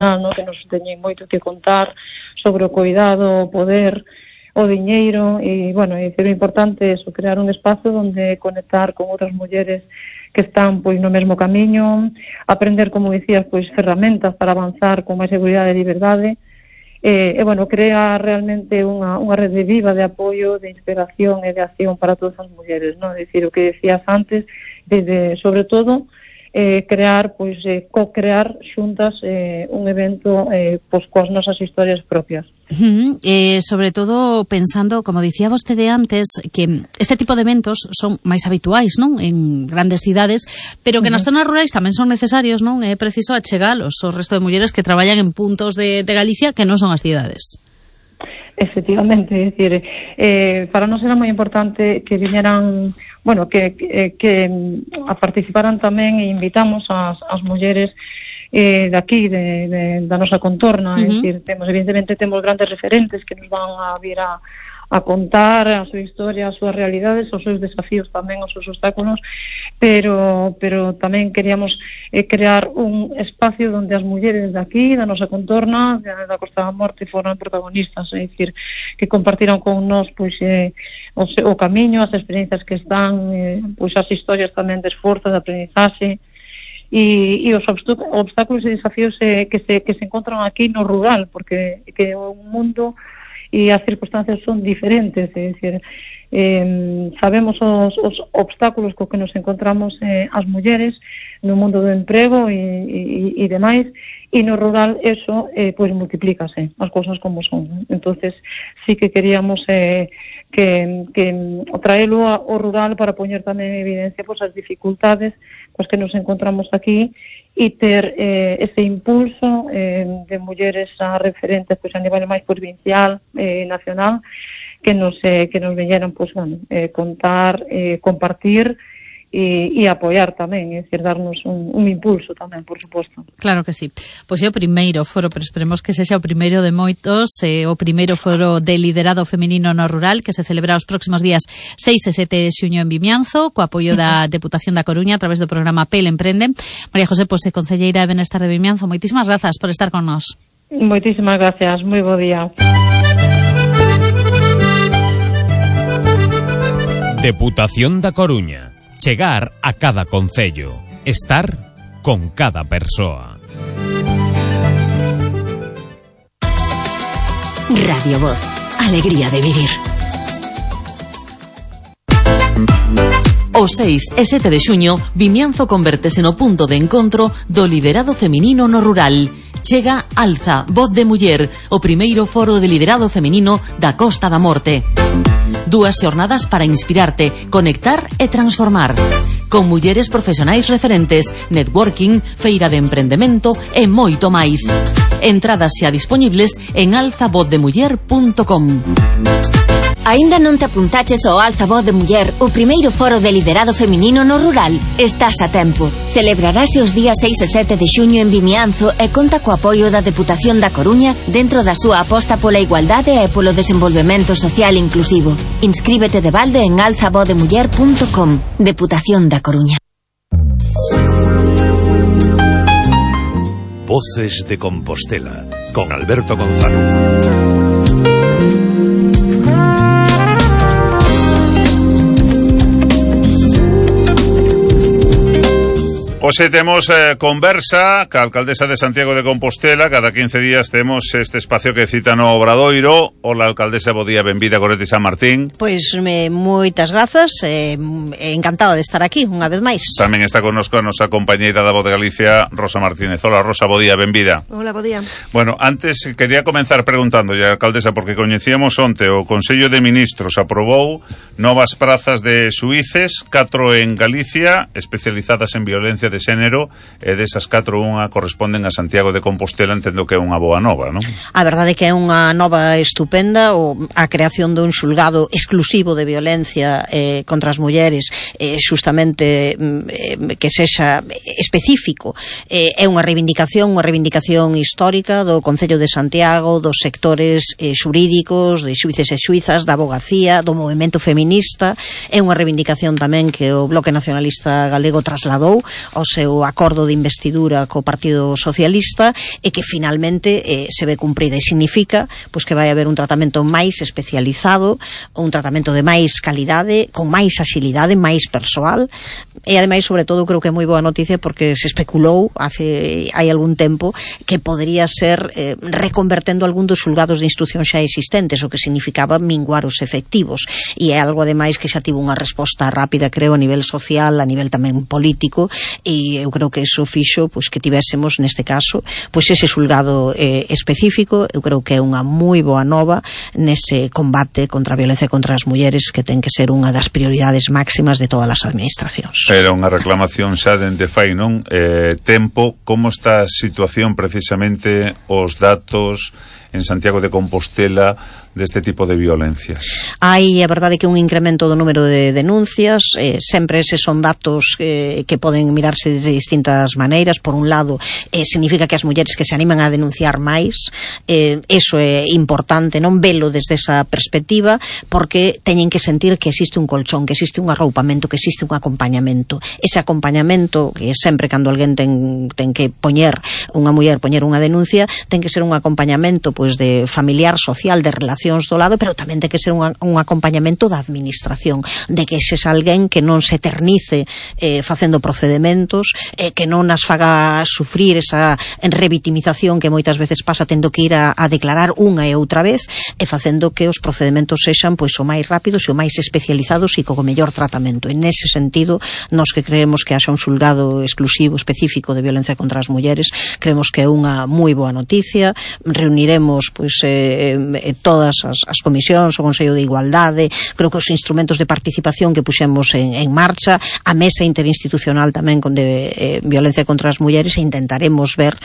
no, que nos teñen moito que contar sobre o cuidado, o poder, o diñeiro, e, bueno, é dicir, o importante é crear un espazo onde conectar con outras mulleres que están, pois, no mesmo camiño, aprender, como dicías, pois, ferramentas para avanzar con máis seguridade e liberdade, e, bueno, crea realmente unha rede viva de apoio, de inspiración e de acción para todas as mulleres, non? É dicir, o que decías antes, sobre todo, crear, pois, co-crear xuntas un evento pois coas nosas historias propias. Sobre todo pensando, como dicía vostede antes, que este tipo de eventos son máis habituais, non? En grandes cidades, pero que nas zonas rurais tamén son necesarios, non? É preciso achegalos ao resto de mulleres que traballan en puntos de Galicia que non son as cidades. Efectivamente, é dicir, para nós era moi importante que viñeran, bueno, que a participaran tamén, e invitamos as mulleres de aquí, da nosa contorna, é dicir, evidentemente temos grandes referentes que nos van a vir a contar a súa historia, as súas realidades, os seus desafíos tamén, os seus obstáculos, pero tamén queríamos crear un espacio onde as mulleres de aquí, da nosa contorna, da Costa da Morte, foran protagonistas, é dicir, que compartiran con nós, pois, o camiño, as experiencias que están, pois, as historias tamén de esforzo, de aprendizaxe, e os obstáculos e desafíos que se encontran aquí no rural, porque que o mundo e as circunstancias son diferentes, é dicir, sabemos os obstáculos co que nos encontramos as mulleres no mundo do emprego e demais, e no rural eso pois multiplícase as cousas como son. Entonces sí que queríamos que traelo ao rural para poñer tamén en evidencia pois as dificultades pois que nos encontramos aquí e ter ese impulso de mulleres a referentes pois a nivel máis provincial, nacional, que nos veñeran pois, bueno, contar, compartir e apoiar tamén, é dicir, darnos un impulso tamén, por suposto. Claro que sí. Pois é o primeiro foro, pero esperemos que sexa o primeiro de moitos, o primeiro foro de liderado feminino no rural, que se celebra os próximos días 6 e 7 de xuño en Vimianzo, co apoio da Deputación da Coruña a través do programa PEL Emprende. María José, pois, concelleira de Benestar de Vimianzo, moitísimas grazas por estar con nós. Moitísimas gracias, moi bo día. Deputación da Coruña. Chegar a cada concello. Estar con cada persoa. Radio Voz. Alegría de vivir. O 6 e 7 de xuño, Vimianzo convértese no punto de encontro do liderado feminino no rural. Chega Alza, Voz de Muller, o primeiro foro de liderado feminino da Costa da Morte. 2 xornadas para inspirarte, conectar e transformar. Con mulleres profesionais referentes, networking, feira de emprendemento e moito máis. Entradas xa disponibles en alzavozdemuller.com. Aínda non te apuntaches ao Alza Voz de Muller, o primeiro foro de liderado feminino no rural? Estás a tempo. Celebrarase os días 6 e 7 de xuño en Vimianzo e conta co apoio da Deputación da Coruña dentro da súa aposta pola igualdade e polo desenvolvemento social inclusivo. Inscríbete de balde en alzavozdemuller.com. Deputación da Coruña. Voces de Compostela con Alberto González. Hoxe temos conversa ca alcaldesa de Santiago de Compostela. Cada 15 días temos este espacio que cita no Obradoiro. Hola, alcaldesa, bo día, benvida, Goretti San Martín. Pois moitas grazas, encantada de estar aquí unha vez máis. Tamén está connosco a nosa compañeira da Voz de Galicia, Rosa Martínez. Hola, Rosa, bo día, benvida. Hola, bo día. Bueno, antes quería comenzar preguntando, alcaldesa, porque coñecíamos onte o Consello de Ministros aprobou novas prazas de xuíces, 4 en Galicia, especializadas en violencia de xénero, e desas 4 unha corresponden a Santiago de Compostela. Entendo que é unha boa nova, non? A verdade é que é unha nova estupenda, a creación dun xulgado exclusivo de violencia contra as mulleres, xustamente que sexa específico, é unha reivindicación histórica do Concello de Santiago, dos sectores xurídicos, de xuíces e xuízas, da abogacía, do movemento feminista. É unha reivindicación tamén que o Bloque Nacionalista Galego trasladou ao seu acordo de investidura co Partido Socialista e que finalmente se ve cumprida, e significa pois que vai haber un tratamento máis especializado, un tratamento de máis calidade, con máis axilidade, máis persoal, e ademais, sobre todo, creo que é moi boa noticia porque se especulou hai algún tempo que podría ser reconvertendo algún dos xulgados de instrucción xa existentes, o que significaba minguar os efectivos, e é algo ademais que xa tivo unha resposta rápida, creo, a nivel social, a nivel tamén político, e eu creo que iso fixo pois que tivésemos neste caso pois ese xulgado específico. Eu creo que é unha moi boa nova nese combate contra a violencia contra as mulleres, que ten que ser unha das prioridades máximas de todas as administracións. Era unha reclamación xa dende fai, non? Tempo, como está a situación precisamente, os datos en Santiago de Compostela deste tipo de violencias? Hai, a verdade, que un incremento do número de denuncias, sempre eses son datos que poden mirarse de distintas maneiras. Por un lado, significa que as mulleres que se animan a denunciar máis, eso é importante, non velo desde esa perspectiva, porque teñen que sentir que existe un colchón, que existe un arroupamento, que existe un acompañamento. Ese acompañamento, que sempre cando alguén ten que poñer unha muller, poñer unha denuncia, ten que ser un acompañamento pois de familiar, social, de relacións do lado, pero tamén ten que ser un acompañamento da administración, de que ese alguén que non se eternice facendo procedimentos, que non as faga sufrir esa revitimización que moitas veces pasa tendo que ir a declarar unha e outra vez, e facendo que os procedimentos sexan pois o máis rápidos e o máis especializados e co mellor tratamento. En ese sentido, nós que creemos que haxa un xulgado exclusivo, específico de violencia contra as mulleres, creemos que é unha moi boa noticia. Reuniremos pois todas as comisións, o Consello de Igualdade, creo que os instrumentos de participación que puxemos en marcha, a mesa interinstitucional tamén con de violencia contra as mulleres, e intentaremos ver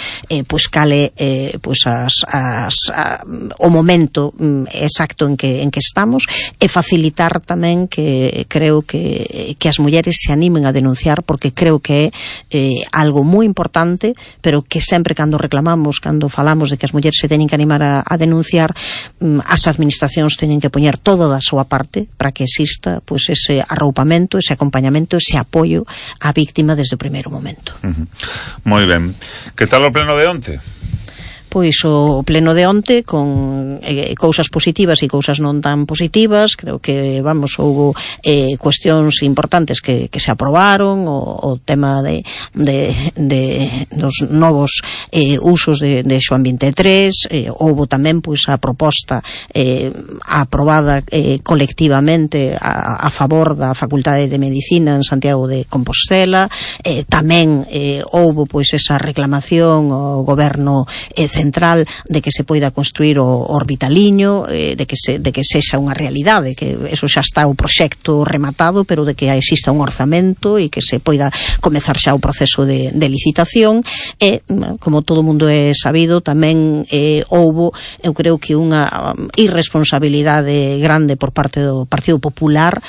pois cale pois o momento exacto en que estamos, e facilitar tamén que creo que as mulleres se animen a denunciar, porque creo que é algo moi importante, pero que sempre cando reclamamos, cando falamos de que as mulleres se teñen que animar a denunciar, as administracións teñen que poñer todo da súa parte para que exista pois ese arroupamento, ese acompañamento, ese apoio á víctima desde o primeiro momento. Moi ben. Que tal o pleno de onte? Pois o pleno de onte con cousas positivas e cousas non tan positivas. Creo que, houbo cuestións importantes que se aprobaron, o tema dos novos usos de Xoán 23, houbo tamén pois a proposta aprobada colectivamente a favor da Facultade de Medicina en Santiago de Compostela, tamén houbo pois esa reclamación ao goberno central de que se poida construir o Orbitaliño, de que sexa unha realidade, que eso xa está o proxecto rematado, pero de que exista un orzamento e que se poida comezar xa o proceso de licitación. E, como todo mundo é sabido, tamén houbo, eu creo que unha irresponsabilidade grande por parte do Partido Popular,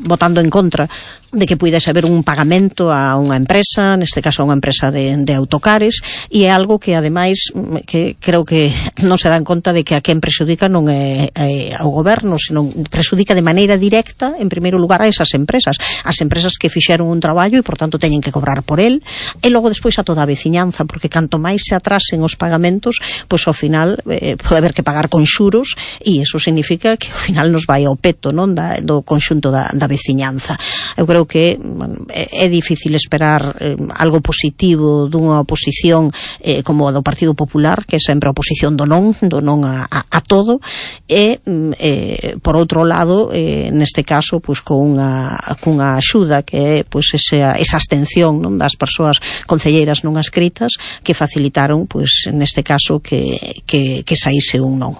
votando en contra de que puidese haber un pagamento a unha empresa, neste caso a unha empresa de autocares, e é algo que ademais que creo que non se dan conta de que a quen prexudica non é ao goberno, senón prexudica de maneira directa, en primeiro lugar, a esas empresas, as empresas que fixeron un traballo e, por tanto, teñen que cobrar por el, e logo despois a toda a veciñanza, porque canto máis se atrasen os pagamentos, pois ao final pode haber que pagar con xuros, e iso significa que ao final nos vai ao peto, non, do conxunto da veciñanza. Eu creo que é difícil esperar algo positivo dunha oposición como a do Partido Popular, que é sempre a oposición do non a todo, e por outro lado, neste caso, pois cunha axuda que é pois esa abstención, non, das persoas concelleiras non adscritas, que facilitaron, pois neste caso, que saíse un non.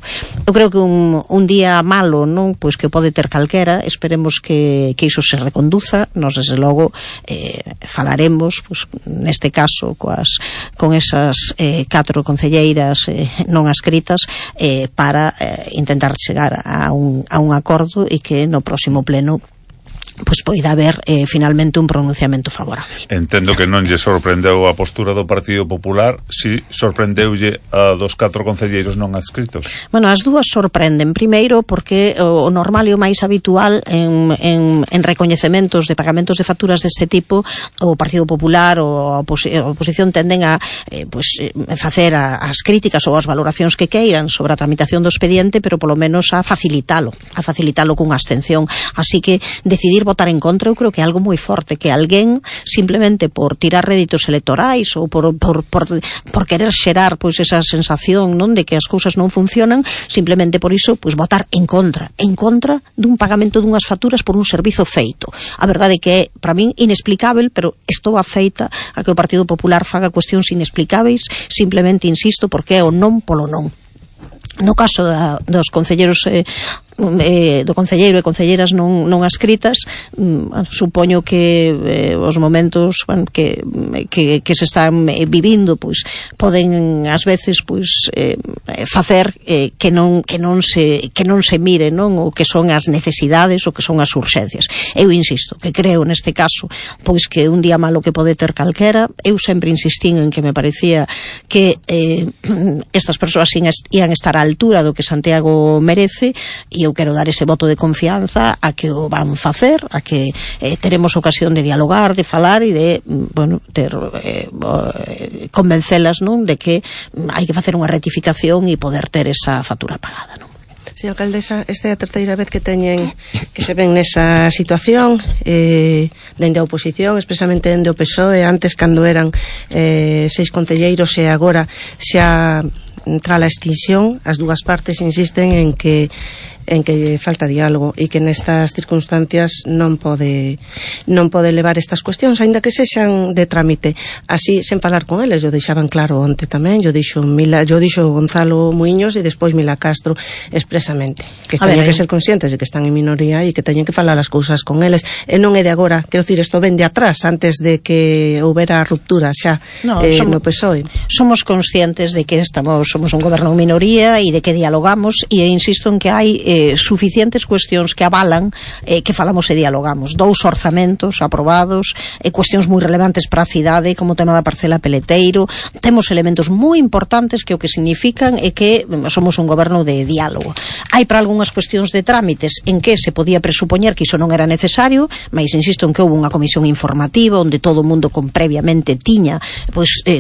Eu creo que un día malo, non, pois que pode ter calquera, esperemos que iso se reconduza. Nos, desde logo, falaremos, pois, neste caso, con esas 4 concelleiras non adscritas, para intentar chegar a un acordo, e que no próximo pleno pois poida haber finalmente un pronunciamento favorable. Entendo que non lle sorprendeu a postura do Partido Popular, si sorprendeulle a dos 4 concelleiros non adscritos. Bueno, as dúas sorprenden, primeiro porque o normal e o máis habitual en recoñecementos de pagamentos de facturas deste tipo, o Partido Popular ou a oposición tenden a facer as críticas ou as valoracións que queiran sobre a tramitación do expediente, pero polo menos a facilitalo cunha abstención. Así que decidir votar en contra eu creo que é algo moi forte, que alguén simplemente por tirar réditos electorais ou por querer xerar pois esa sensación, non, de que as cousas non funcionan, simplemente por iso pois votar en contra dun pagamento dunhas facturas por un servizo feito. A verdade é que é, para min, inexplicável, pero estou afeita a que o Partido Popular faga cuestións inexplicáveis, simplemente, insisto, porque é o non polo non. No caso dos concelleiros do concelleiro e concelleiras non adscritas, supoño que os momentos que se están vivindo pois poden ás veces pois facer que non se mire, non, o que son as necesidades, o que son as urxencias. Eu insisto que creo neste caso pois que un día malo que pode ter calquera. Eu sempre insistín en que me parecía que estas persoas ian estar á altura do que Santiago merece, e eu quero dar ese voto de confianza a que o van facer, a que teremos ocasión de dialogar, de falar e de convencelas, non, de que hai que facer unha rectificación e poder ter esa factura pagada, non? Señora alcaldesa, esta é a terceira vez que se ven nesa situación, dende a oposición, expresamente dende o PSOE, antes cando eran 6 concelleiros e agora xa tras a extinción. As dúas partes insisten en que falta diálogo e que nestas circunstancias non pode levar estas cuestións, aínda que sexan de trámite, así sen falar con eles. Yo deixaban claro onte tamén, yo dixo Gonzalo Muiños e despois Mila Castro expresamente, que teñen que ser conscientes de que están en minoría e que teñen que falar as cousas con eles, e non é de agora, quero dicir, isto ven de atrás, antes de que houbera ruptura xa no PSOE. Somos conscientes de que somos un goberno en minoría e de que dialogamos, e insisto en que hai suficientes cuestións que avalan que falamos e dialogamos. 2 orzamentos aprobados, cuestións moi relevantes para a cidade, como o tema da parcela Peleteiro. Temos elementos moi importantes que o que significan é que somos un goberno de diálogo. Hai para algunhas cuestións de trámites en que se podía presupoñer que iso non era necesario, mas insisto en que houve unha comisión informativa onde todo o mundo previamente tiña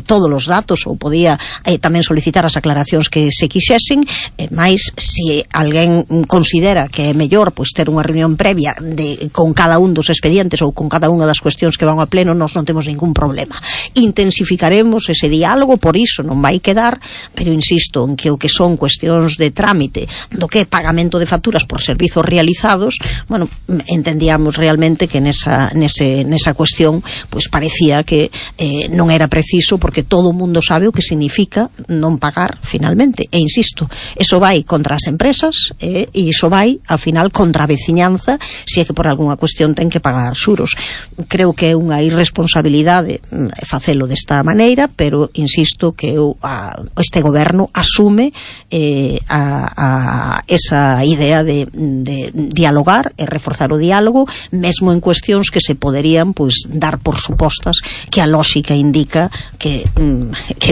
todos os datos, ou podía tamén solicitar as aclaracións que se quixesen, mas se alguén considera que é mellor ter unha reunión previa con cada un dos expedientes ou con cada unha das cuestións que van ao pleno, nós non temos ningún problema. Intensificaremos ese diálogo, por iso non vai quedar, pero insisto en que o que son cuestións de trámite, do que é pagamento de facturas por servizos realizados, entendíamos realmente que nesa cuestión parecía que non era preciso, porque todo o mundo sabe o que significa non pagar finalmente, e insisto, eso vai contra as empresas e iso vai, ao final, contra a veciñanza, se é que por algunha cuestión ten que pagar xuros. Creo que é unha irresponsabilidade facelo desta maneira, pero insisto que este goberno asume esa idea de dialogar e reforzar o diálogo, mesmo en cuestións que se poderían dar por supostas, que a lóxica indica que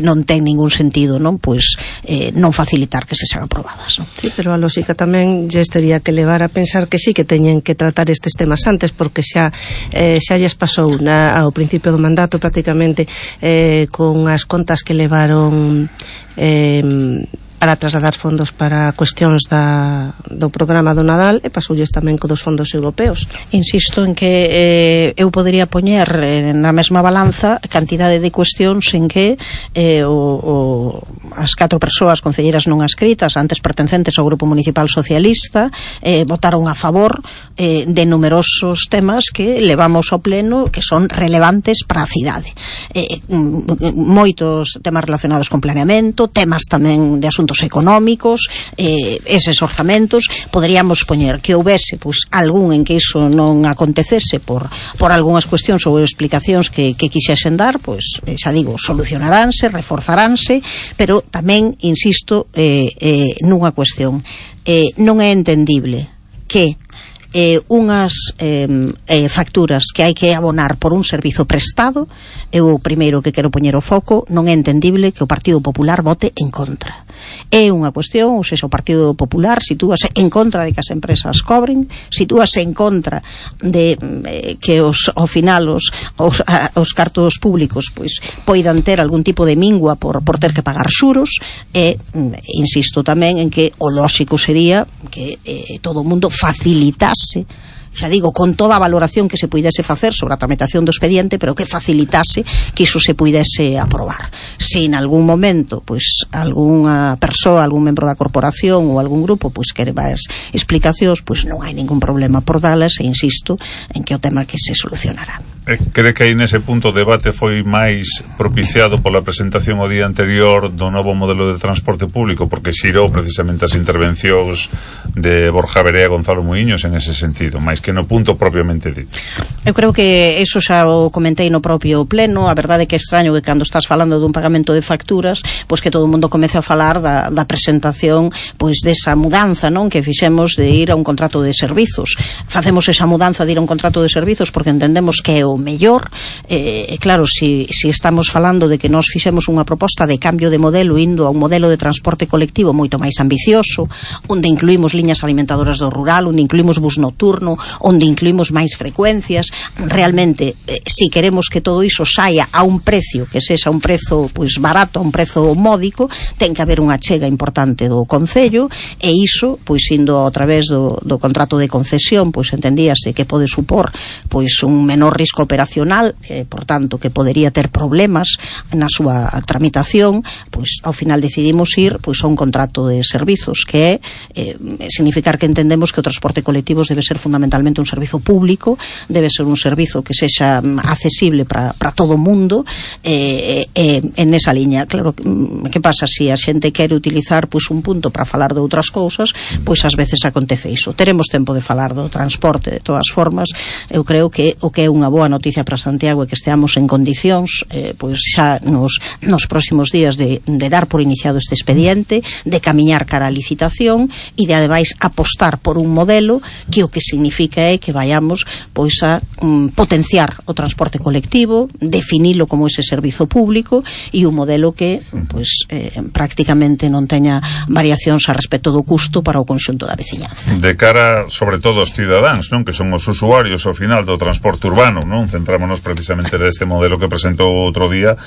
non ten ningún sentido non facilitar que se sean aprobadas, non? Sí, pero a lóxica tamén lles tería que levar a pensar que sí que teñen que tratar estes temas antes, porque xa lles pasou ao principio do mandato prácticamente con as contas que levaron para trasladar fondos para cuestións do programa do Nadal, e pasoulles tamén co dos fondos europeos. Insisto en que eu podería poñer na mesma balanza cantidade de cuestións en que as 4 persoas concelleiras non adscritas, antes pertencentes ao Grupo Municipal Socialista, votaron a favor de numerosos temas que levamos ao pleno, que son relevantes para a cidade. Moitos temas relacionados con planeamento, temas tamén de asuntos económicos, eses orzamentos. Poderíamos poñer que houbese algún en que iso non acontecese por algunhas cuestións ou explicacións que quixesen dar, xa digo, solucionaránse, reforzaránse, pero tamén insisto nunha cuestión, non é entendible que unhas facturas que hai que abonar por un servizo prestado, eu o primeiro que quero poñer o foco, non é entendible que o Partido Popular vote en contra. É unha cuestión, ou seja, o Partido Popular sitúase en contra de que as empresas cobren, sitúase en contra de que ao final os cartos públicos pois poidan ter algún tipo de mingua por ter que pagar xuros, e insisto tamén en que o lóxico sería que todo o mundo facilitase, xa digo, con toda a valoración que se puidese facer sobre a tramitación do expediente, pero que facilitase que iso se puidese aprobar. Se en algún momento, pois, algunha persoa, algún membro da corporación ou algún grupo, pois, quere máis explicacións, pois non hai ningún problema por dalas, e insisto en que o tema que se solucionará. Cree que aí nese punto o debate foi máis propiciado pola presentación o día anterior do novo modelo de transporte público, porque xirou precisamente as intervencións de Borja Verea e Gonzalo Muiños en ese sentido, máis que no punto propiamente dito. Eu creo que eso xa o comentei no propio pleno. A verdade é que é extraño que cando estás falando dun pagamento de facturas, pois que todo o mundo comece a falar da presentación, pois desa mudanza, non, que fixemos de ir a un contrato de servizos. Facemos esa mudanza de ir a un contrato de servizos porque entendemos que é o mellor. Claro, si estamos falando de que nós fixemos unha proposta de cambio de modelo indo a un modelo de transporte colectivo moito máis ambicioso, onde incluímos liñas alimentadoras do rural, onde incluímos bus nocturno, onde incluímos máis frecuencias, realmente, si queremos que todo iso saia a un precio que sexa un prezo pois barato, a un prezo módico, ten que haber unha achega importante do Concello, e iso, pois indo a través do contrato de concesión, pois entendíase que pode supor pois un menor risco operacional, por tanto que podería ter problemas na súa tramitación, pois ao final decidimos ir pois a un contrato de servizos, que é significar que entendemos que o transporte colectivo debe ser fundamentalmente un servizo público, debe ser un servizo que sexa accesible para todo o mundo, en esa liña. Claro, que pasa se a xente quere utilizar pois un punto para falar de outras cousas, pois ás veces acontece iso. Teremos tempo de falar do transporte de todas formas. Eu creo que o que é unha boa noticia para Santiago é que esteamos en condicións pois xa nos próximos días de dar por iniciado este expediente, de camiñar cara á licitación e de ademais apostar por un modelo que o que significa é que vayamos pois a potenciar o transporte colectivo, definilo como ese servizo público, e un modelo que pois prácticamente non teña variacións a respecto do custo para o conxunto da veciñanza. De cara, sobre todo, aos cidadáns, non, que son os usuarios ao final do transporte urbano, non? Centrámonos precisamente neste modelo que presentou outro día.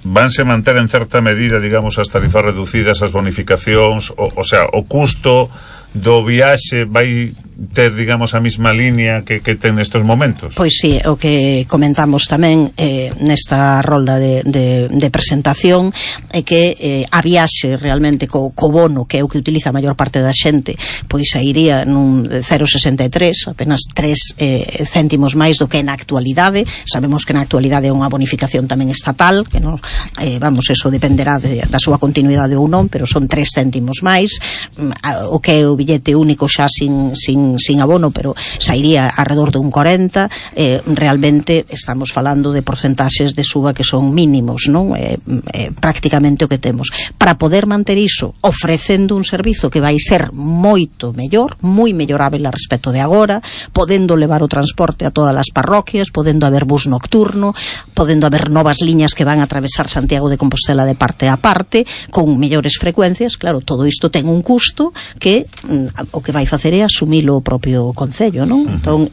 Vanse manter en certa medida, digamos, as tarifas reducidas, as bonificacións, o sea, o custo do viaxe vai ter, digamos, a mesma línea que ten nestes momentos? Pois sí, o que comentamos tamén nesta rolda de presentación é que a viaxe realmente co bono, que é o que utiliza a maior parte da xente, pois iría nun 0,63, apenas 3 céntimos máis do que na actualidade. Sabemos que na actualidade é unha bonificación tamén estatal, que non, vamos, eso dependerá da súa continuidade ou non, pero son 3 céntimos máis. O que é o billete único xa sin abono, pero sairía alrededor de un 40. Realmente estamos falando de porcentaxes de suba que son mínimos, non? Prácticamente o que temos. Para poder manter iso ofrecendo un servizo que vai ser moito mellor, moi mellorável a respecto de agora, podendo levar o transporte a todas as parroquias, podendo haber bus nocturno, podendo haber novas liñas que van a atravesar Santiago de Compostela de parte a parte, con mellores frecuencias. Claro, todo isto ten un custo que o que vai facer é asumilo o propio Concello, non? Entón,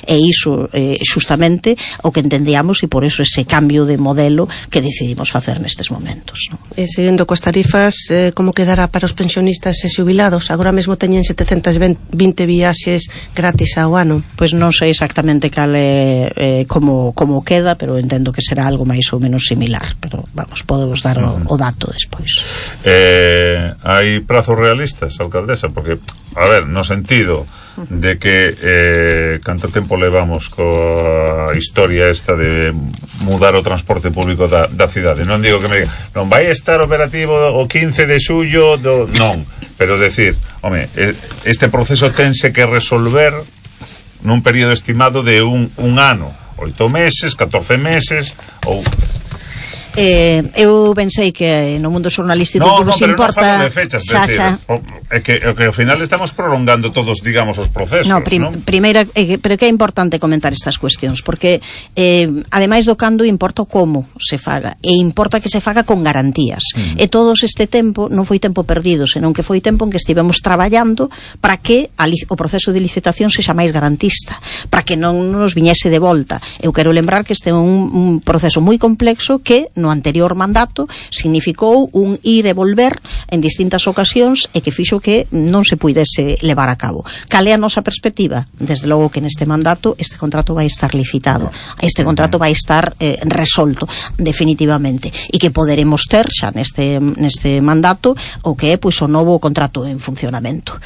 iso xustamente o que entendíamos, e por eso ese cambio de modelo que decidimos facer nestes momentos, non? Seguindo coas tarifas, como quedará para os pensionistas e xubilados? Agora mesmo teñen 720 viaxes gratis ao ano. Pois non sei exactamente cal é como queda, pero entendo que será algo máis ou menos similar, pero vamos, podemos dar o dato despois. Hai prazos realistas, alcaldesa? Porque, a ver, no sentido de que canto tempo levamos coa historia esta de mudar o transporte público da cidade. Non digo que me diga, non vai estar operativo o 15 de xullo non, pero decir, home, este proceso tense que resolver nun período estimado de un ano, 8 meses, 14 meses ou... eu pensei que no mundo xornalístico no, nos importa non falo de fechas, xa. é que ao final estamos prolongando todos, digamos, os procesos, non? Primeira, pero que é importante comentar estas cuestións, porque ademais do cando importa como se faga, e importa que se faga con garantías. E todos este tempo non foi tempo perdido, senón que foi tempo en que estivemos traballando para que o proceso de licitación sexa máis garantista, para que non nos viñese de volta. Eu quero lembrar que este é un proceso moi complexo que no anterior mandato significou un ir e volver en distintas ocasións e que fixo que non se puidese levar a cabo. Cal é a nosa perspectiva? Desde logo que neste mandato este contrato vai estar licitado, este contrato vai estar resolto definitivamente, e que poderemos ter xa neste mandato o que é pois o novo contrato en funcionamento.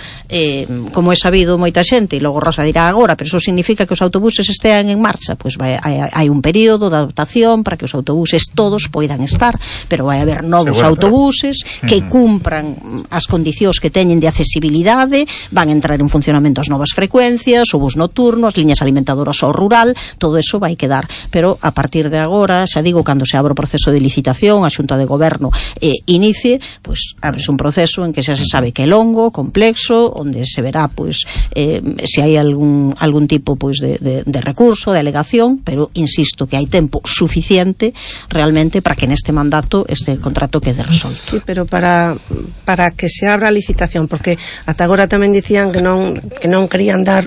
Como é sabido moita xente, e logo Rosa dirá agora, pero iso significa que os autobuses estean en marcha, pois hai un período de adaptación para que os autobuses todos poidan estar, pero vai haber novos autobuses que cumpran as condicións que teñen de accesibilidade, van entrar en funcionamento as novas frecuencias, o bus nocturno, as liñas alimentadoras ao rural, todo eso vai quedar, pero a partir de agora, xa digo, cando se abra o proceso de licitación, a Xunta de Goberno inicie, pois abres un proceso en que xa se sabe que é longo, complexo, onde se verá pois se hai algún tipo pois de recurso, de alegación, pero insisto que hai tempo suficiente realmente para que neste mandato este contrato quede resolto. Sí, pero para que se abra a licitación, porque ata agora tamén dicían que non querían dar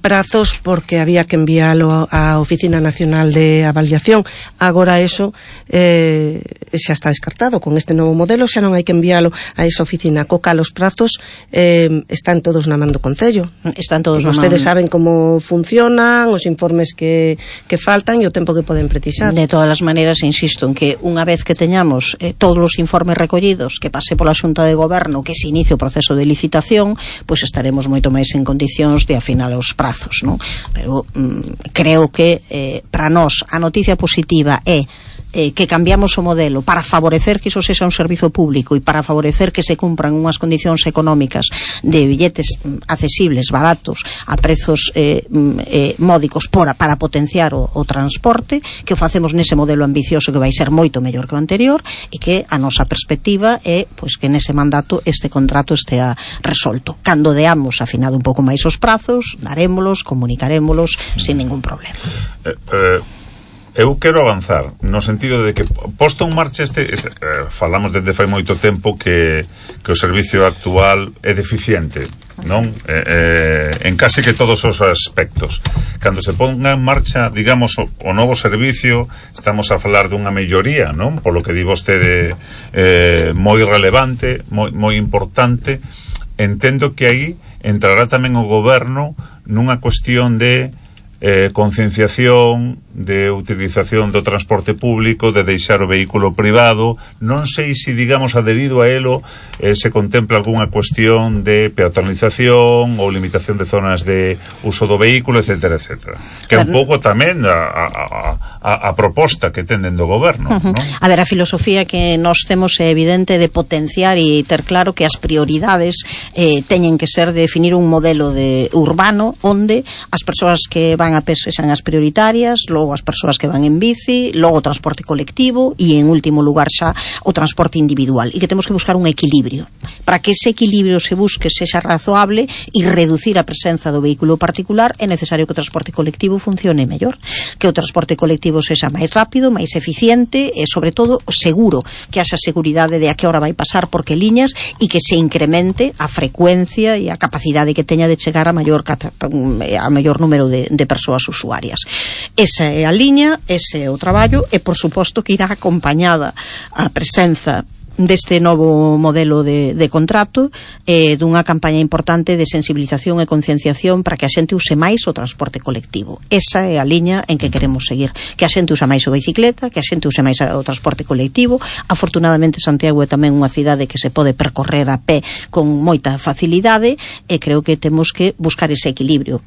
prazos porque había que enviálo á Oficina Nacional de Avaliación. Agora eso xa está descartado. Con este novo modelo xa non hai que enviálo a esa oficina. Coca, los prazos están todos na man do Concello. Están todos na man. Ustedes saben como funcionan, os informes que faltan e o tempo que poden precisar. De todas as maneiras, insisto en que unha vez que teñamos todos os informes recollidos, que pase pola Xunta de Goberno, que se inicie o proceso de licitación, pois estaremos moito máis en condicións de afinar os prazos, non? Pero creo que para nós a noticia positiva é que cambiamos o modelo para favorecer que iso sexa un servizo público e para favorecer que se cumpran unhas condicións económicas de billetes accesibles, baratos, a prezos módicos para potenciar o transporte, que o facemos nese modelo ambicioso que vai ser moito mellor que o anterior, e que a nosa perspectiva é pois que nese mandato este contrato estea resolto. Cando deamos afinado un pouco máis os prazos, darémolos, comunicarémolos sin ningún problema. Eu quero avanzar no sentido de que posto en marcha falamos desde fai moito tempo que o servicio actual é deficiente, non? En case que todos os aspectos. Cando se ponga en marcha, digamos, o novo servicio, estamos a falar dunha melloría, non? Polo que di vostede, moi relevante, moi importante. Entendo que aí entrará tamén o goberno nunha cuestión de concienciación, de utilización do transporte público, de deixar o vehículo privado. Non sei se, digamos, adherido a elo se contempla algunha cuestión de peatonalización ou limitación de zonas de uso do vehículo, etcétera, etcétera. Que é un pouco tamén a proposta que tenden do goberno, non? A ver, a filosofía que nós temos é evidente de potenciar e ter claro que as prioridades teñen que ser de definir un modelo de urbano onde as persoas que van a pé sexan as prioritarias, logo as persoas que van en bici, logo o transporte colectivo e en último lugar xa o transporte individual, e que temos que buscar un equilibrio. Para que ese equilibrio se busque, sexa razoable e reducir a presenza do vehículo particular, é necesario que o transporte colectivo funcione mellor, que o transporte colectivo sexa máis rápido, máis eficiente e, sobre todo, seguro, que haxa seguridade de a que hora vai pasar por que liñas e que se incremente a frecuencia e a capacidade que teña de chegar a maior número de persoas usuarias. Esa é a liña, ese é o traballo e, por suposto, que irá acompañada a presenza deste novo modelo de contrato dunha campaña importante de sensibilización e concienciación para que a xente use máis o transporte colectivo. Esa é a liña en que queremos seguir, que a xente usa máis a bicicleta, que a xente use máis o transporte colectivo. Afortunadamente Santiago é tamén unha cidade que se pode percorrer a pé con moita facilidade e creo que temos que buscar ese equilibrio.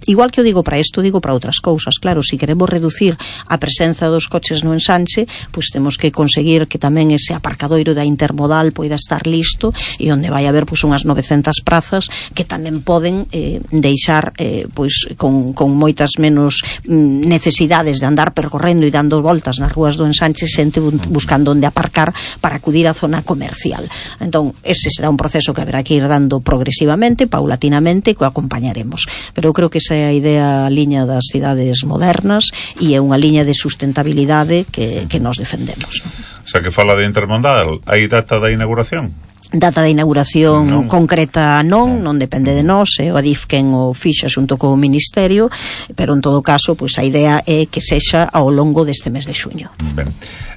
igual que o digo para isto, digo para outras cousas. Claro, se queremos reducir a presenza dos coches no ensanche, pois temos que conseguir que tamén ese aparcadoiro da intermodal poida estar listo, e onde vai haber pois unhas 900 prazas que tamén poden deixar pois con moitas menos necesidades de andar percorrendo e dando voltas nas rúas do ensanche, xente buscando onde aparcar para acudir á zona comercial. Entón, ese será un proceso que haberá que ir dando progresivamente, paulatinamente, que o acompañaremos. Pero eu creo que esa é a idea, a liña das cidades modernas, e é unha liña de sustentabilidade que nos defendemos. O sea, que fala de intermodal, hai data da inauguración? Data de inauguración concreta non depende de nós, o Adif quen o fixa xunto co Ministerio, pero en todo caso, pois a idea é que sexa ao longo deste mes de xuño. Ben,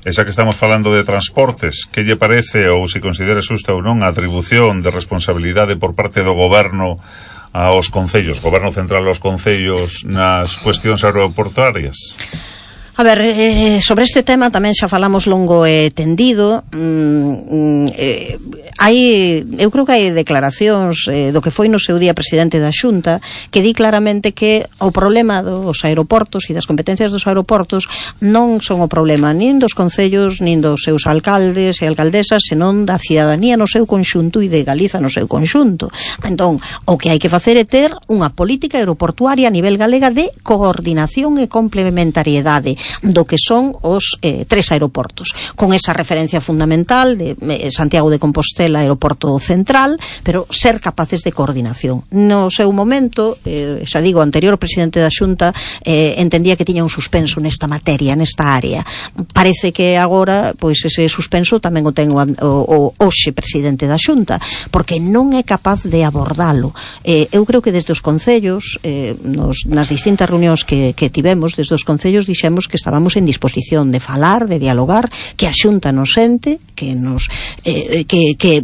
esa que estamos falando de transportes, que lle parece, ou se considera xusta ou non, a atribución de responsabilidade por parte do goberno aos concellos, goberno central aos concellos nas cuestións aeroportuarias? A ver, sobre este tema tamén xa falamos longo e tendido. Eu creo que hai declaracións do que foi no seu día presidente da Xunta que di claramente que o problema dos aeroportos e das competencias dos aeroportos non son o problema nin dos concellos nin dos seus alcaldes e alcaldesas, senón da cidadanía no seu conxunto e de Galiza no seu conxunto. Entón, o que hai que facer é ter unha política aeroportuaria a nivel galega de coordinación e complementariedade do que son os 3 aeroportos, con esa referencia fundamental de Santiago de Compostela, aeroporto central, pero ser capaces de coordinación. No seu momento, xa digo, o anterior presidente da Xunta entendía que tiña un suspenso nesta materia, nesta área. Parece que agora, pois ese suspenso tamén o ten o hoxe presidente da Xunta, porque non é capaz de abordalo. Eu creo que desde os concellos, nas distintas reunións que tivemos, desde os concellos dixemos que estábamos en disposición de falar, de dialogar, que a Xunta nos sente, que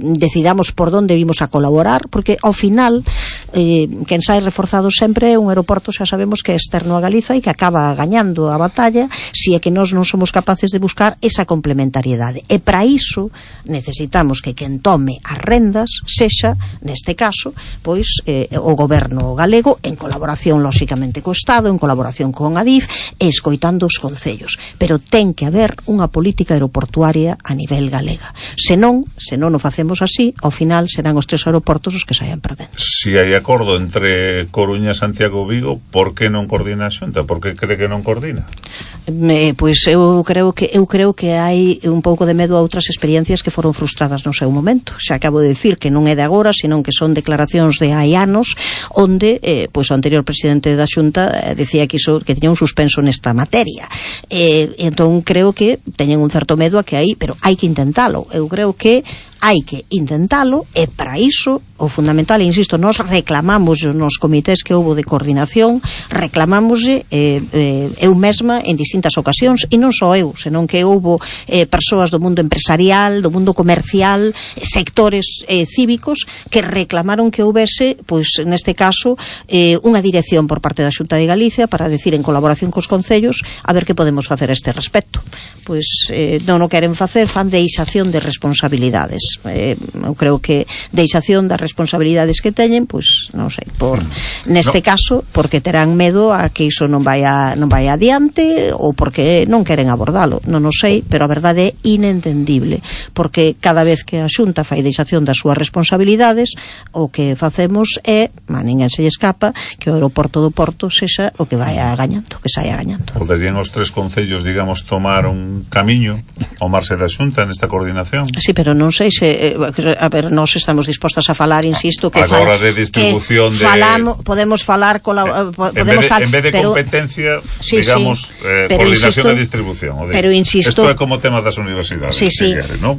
decidamos por onde vimos a colaborar, porque ao final quen sai reforzado sempre é un aeroporto, xa sabemos que é externo a Galiza e que acaba gañando a batalla se é que nós non somos capaces de buscar esa complementariedade, e para iso necesitamos que quen tome as rendas sexa, neste caso, pois o goberno galego, en colaboración lóxicamente co Estado, en colaboración con Adif, e escoitando os concellos, pero ten que haber unha política aeroportuaria a nivel galega. Se non o facemos así, ao final serán os 3 aeroportos os que saian perdendo. Si hai acordo entre Coruña, Santiago e Vigo, por que non coordina a Xunta? Por que cree que non coordina? Pois eu creo que hai un pouco de medo a outras experiencias que foron frustradas no seu momento. Xa acabo de dicir que non é de agora, senón que son declaracións de hai anos, onde pois o anterior presidente da Xunta decía que tiña un suspenso nesta materia. Entón creo que teñen un certo medo a que hai, pero hai que intentalo. Eu creo que hai que intentalo, e para iso o fundamental, e insisto, nós reclamamos nos comités que houbo de coordinación, reclamamos eu mesma en distintas ocasións, e non só eu, senón que houbo persoas do mundo empresarial, do mundo comercial, sectores cívicos que reclamaron que houbese, pois neste caso, unha dirección por parte da Xunta de Galicia para decir en colaboración cos concellos a ver que podemos facer a este respecto. Pois non o queren facer, fan deixación de responsabilidades. Eu creo que deixación das responsabilidades que teñen, pois non sei, neste caso porque terán medo a que iso non vai adiante, ou porque non queren abordalo, non o sei, pero a verdade é inentendible, porque cada vez que a Xunta fai deixación das súas responsabilidades, o que facemos é, a ninguén se lle escapa, que o aeroporto do Porto sexa o que saia gañando. Poderían os 3 concellos, digamos, tomar un camiño ao marxe da Xunta nesta coordinación? Sí, pero non sei se a ver, nós estamos dispostas a falar, insisto, que agora de distribución podemos falar en vez de competencia, digamos, coordinación de distribución. Pero insisto, isto é como tema das universidades, ¿no?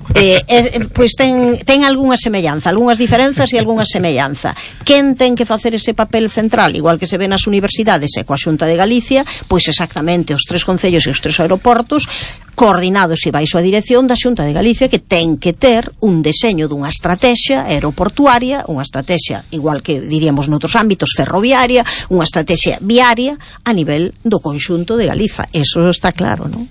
Pois ten algunha semellanza, algunhas diferenzas e algunha semellanza. Quen ten que facer ese papel central, igual que se ve nas universidades e coa Xunta de Galicia, pois exactamente os 3 concellos e os 3 aeroportos coordinados e baixo a dirección da Xunta de Galicia, que ten que ter un deseño dunha estrategia aeroportuaria, unha estrategia, igual que diríamos noutros ámbitos, ferroviaria, unha estrategia viaria a nivel do conxunto de Galiza. Eso está claro, non?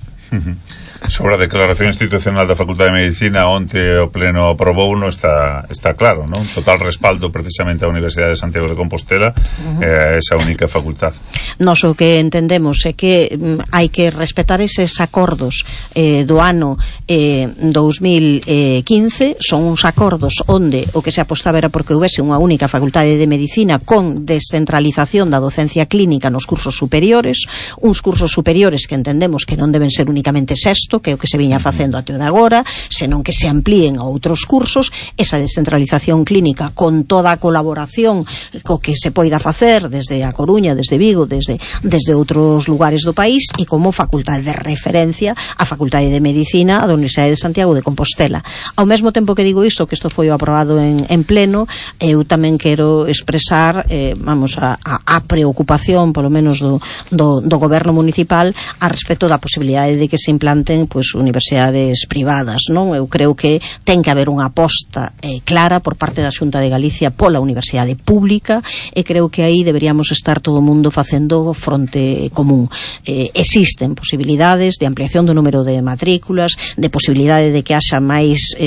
Sobre a declaración institucional da Facultade de Medicina, onte o Pleno aprobou, non está claro, non? Total respaldo precisamente á Universidade de Santiago de Compostela, esa única facultad. Nos o que entendemos é que hai que respetar eses acordos do ano 2015, son uns acordos onde o que se apostaba era porque houvese unha única Facultade de Medicina con descentralización da docencia clínica nos cursos superiores, uns cursos superiores que entendemos que non deben ser únicamente sexto, que é o que se viña facendo até o de agora, senón que se amplíen a outros cursos, esa descentralización clínica con toda a colaboración co que se poida facer desde A Coruña, desde Vigo, desde outros lugares do país, e como facultade de referencia a Facultade de Medicina da Universidade de Santiago de Compostela. Ao mesmo tempo que digo isto, que isto foi aprobado en pleno, eu tamén quero expresar a preocupación, polo menos do goberno municipal, a respecto da posibilidade de que se implanten universidades privadas, non? Eu creo que ten que haber unha aposta clara por parte da Xunta de Galicia pola universidade pública, e creo que aí deberíamos estar todo o mundo facendo fronte común. Existen posibilidades de ampliación do número de matrículas, de posibilidade de que haxa máis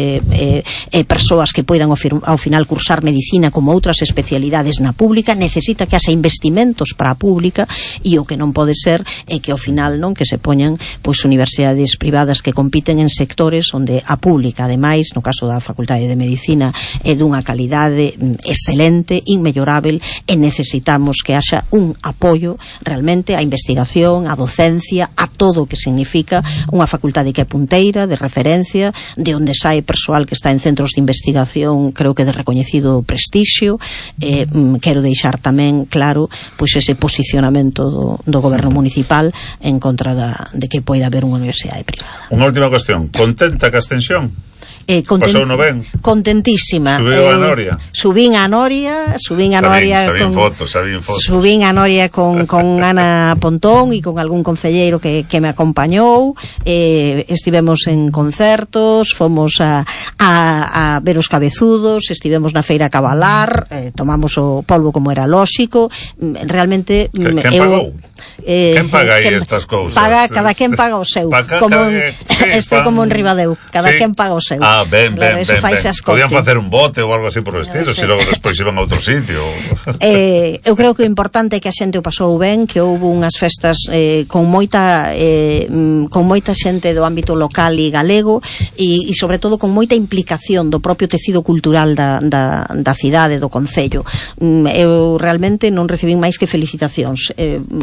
persoas que poidan ao final cursar medicina como outras especialidades na pública. Necesita que haxa investimentos para a pública, e o que non pode ser é que ao final non que se poñan universidades privadas que compiten en sectores onde a pública, ademais, no caso da Facultade de Medicina, é dunha calidade excelente, inmellorável, e necesitamos que haxa un apoio realmente á investigación, á docencia, a todo o que significa unha facultade que é punteira, de referencia, de onde sae persoal que está en centros de investigación, creo que de recoñecido prestixio. Quero deixar tamén claro ese posicionamento do goberno municipal en contra de que poida haber unha universidade privada. Unha última cuestión, contenta ca extensión? Pasou no ben? Contentísima. Subiu a Noria? Subín a Noria Subín a Noria con Ana Pontón e con algún concelleiro que me acompañou. Estivemos en concertos, fomos a ver os cabezudos, estivemos na feira a cabalar, tomamos o polvo como era lóxico. Realmente quen pagou? Quen paga aí estas cousas? Cada quen paga o seu. Estou como en Ribadeu, cada quen paga o seu. Ben. Podían facer un bote ou algo así por o estilo, se logo despois iban a outro sitio. Eu creo que o importante é que a xente o pasou ben, que houve unhas festas con moita xente do ámbito local e galego, e sobre todo con moita implicación do propio tecido cultural da cidade, do concello. Eu realmente non recibín máis que felicitacións.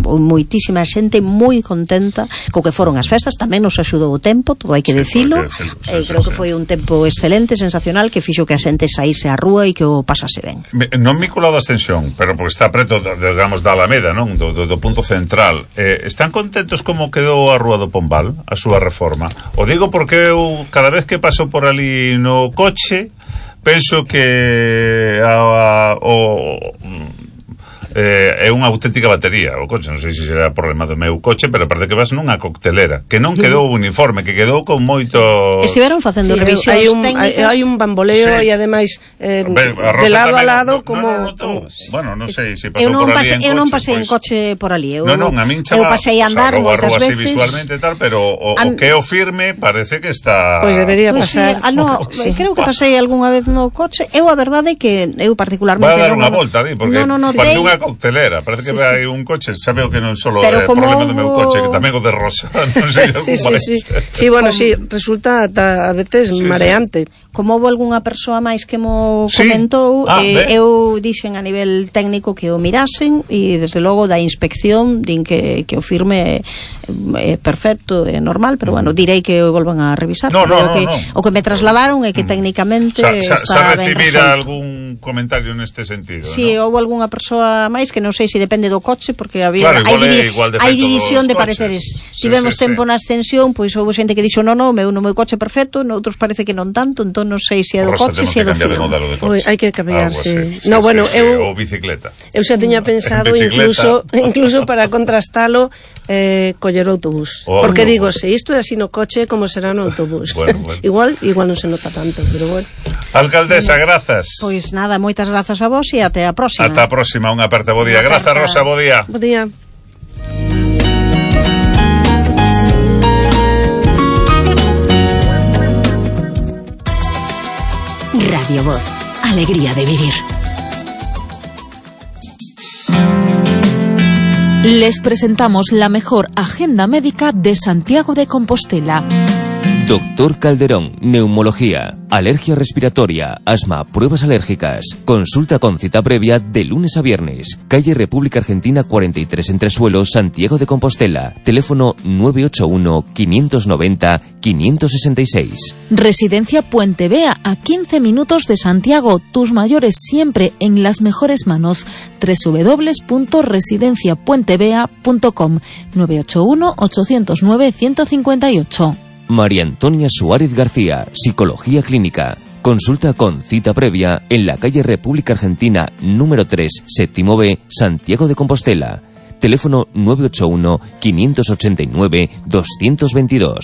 Moitísima xente moi contenta co que foron as festas. Tamén nos axudou o tempo, todo hai que dicilo. Creo que foi un tempo excelente, sensacional, que fixo que a xente saíse á rúa e que o pasase ben. Non vinculado a extensión, pero porque está preto, digamos, da Alameda, non? Do punto central. Están contentos como quedou a Rúa do Pombal, a súa reforma? O digo porque eu, cada vez que paso por ali no coche, penso que é unha auténtica batería o coche, non sei se será problema do meu coche, pero parece que vas nunha coctelera, que non quedou uniforme, que quedou con moito... Estiveron facendo revisións técnicas. Hai un bamboleo e ademais de lado a lado como... Bueno, non sei se pasou por ali en coche. Eu non pasei en coche por ali. Non, a min chama... Eu pasei a andar moitas veces. Visualmente tal, pero o que é o firme parece que está... Pois debería pasar. Creo que pasei algunha vez no coche. Eu a verdade é que eu particularmente... Vai a dar unha volta ali, porque parece unha coctelera, parece que vai un coche, xa veo que non só é problema do meu coche, que tamén o de Rosa, non sei algún máis. Sí, bueno, resulta a veces mareante. Como houve algunha persoa máis que mo comentou, eu dixen a nivel técnico que o mirasen, e desde logo da inspección din que o firme é perfecto, é normal, pero bueno, direi que o volvan a revisar. O que me trasladaron é que técnicamente está ben resolto. Recibir algún comentario neste sentido, si houve algunha persoa máis, que non sei se depende do coche, porque hai división de pareceres. Tivemos tempo na extensión, pois houve xente que dixo no meu coche perfecto, noutros parece que non tanto, entón non sei se é do coche, se é do fío. Hai que cambiarse. Ou bicicleta. Eu xa tiña pensado incluso para contrastalo coller autobús, porque digo, se isto é así no coche, como será no autobús? Igual non se nota tanto, pero bueno. Alcaldesa, grazas. Pois nada, moitas grazas a vos e até a próxima. Ata a próxima, unha aperta, bo día. Grazas, Rosa, bo día. Bo día. Radio Voz. Alegría de vivir. Les presentamos la mejor agenda médica de Santiago de Compostela. Doctor Calderón, neumología, alergia respiratoria, asma, pruebas alérgicas. Consulta con cita previa de lunes a viernes. Calle República Argentina 43 Entresuelos, Santiago de Compostela. Teléfono 981-590-566. Residencia Puente Vea, a 15 minutos de Santiago. Tus mayores siempre en las mejores manos. www.residenciapuentevea.com 981-809-158. María Antonia Suárez García, Psicología Clínica. Consulta con cita previa en la calle República Argentina número 3, séptimo B, Santiago de Compostela. Teléfono 981-589-222.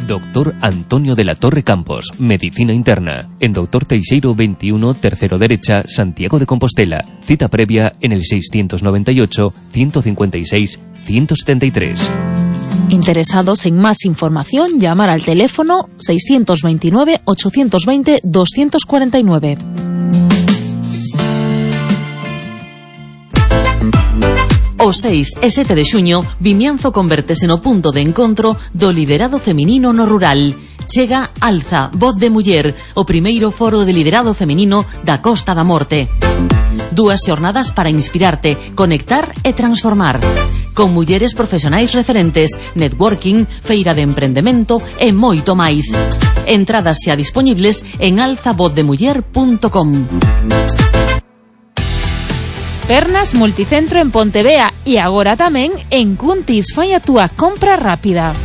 Doctor Antonio de la Torre Campos, Medicina Interna. En Doctor Teixeiro 21, tercero derecha, Santiago de Compostela. Cita previa en el 698-156-173. Interesados en más información, llamar al teléfono 629-820-249. O 6 e 7 de xuño, Vimianzo convértese no punto de encontro do liderado feminino no rural. Chega Alza, Voz de Muller, o primeiro foro de liderado feminino da Costa da Morte. 2 xornadas para inspirarte, conectar e transformar. Con mulleres profesionais referentes, networking, feira de emprendemento e moito máis. Entradas xa disponibles en alzavozdemuller.com. Pernas Multicentro en Pontevea e agora tamén en Cuntis. Fai a túa compra rápida.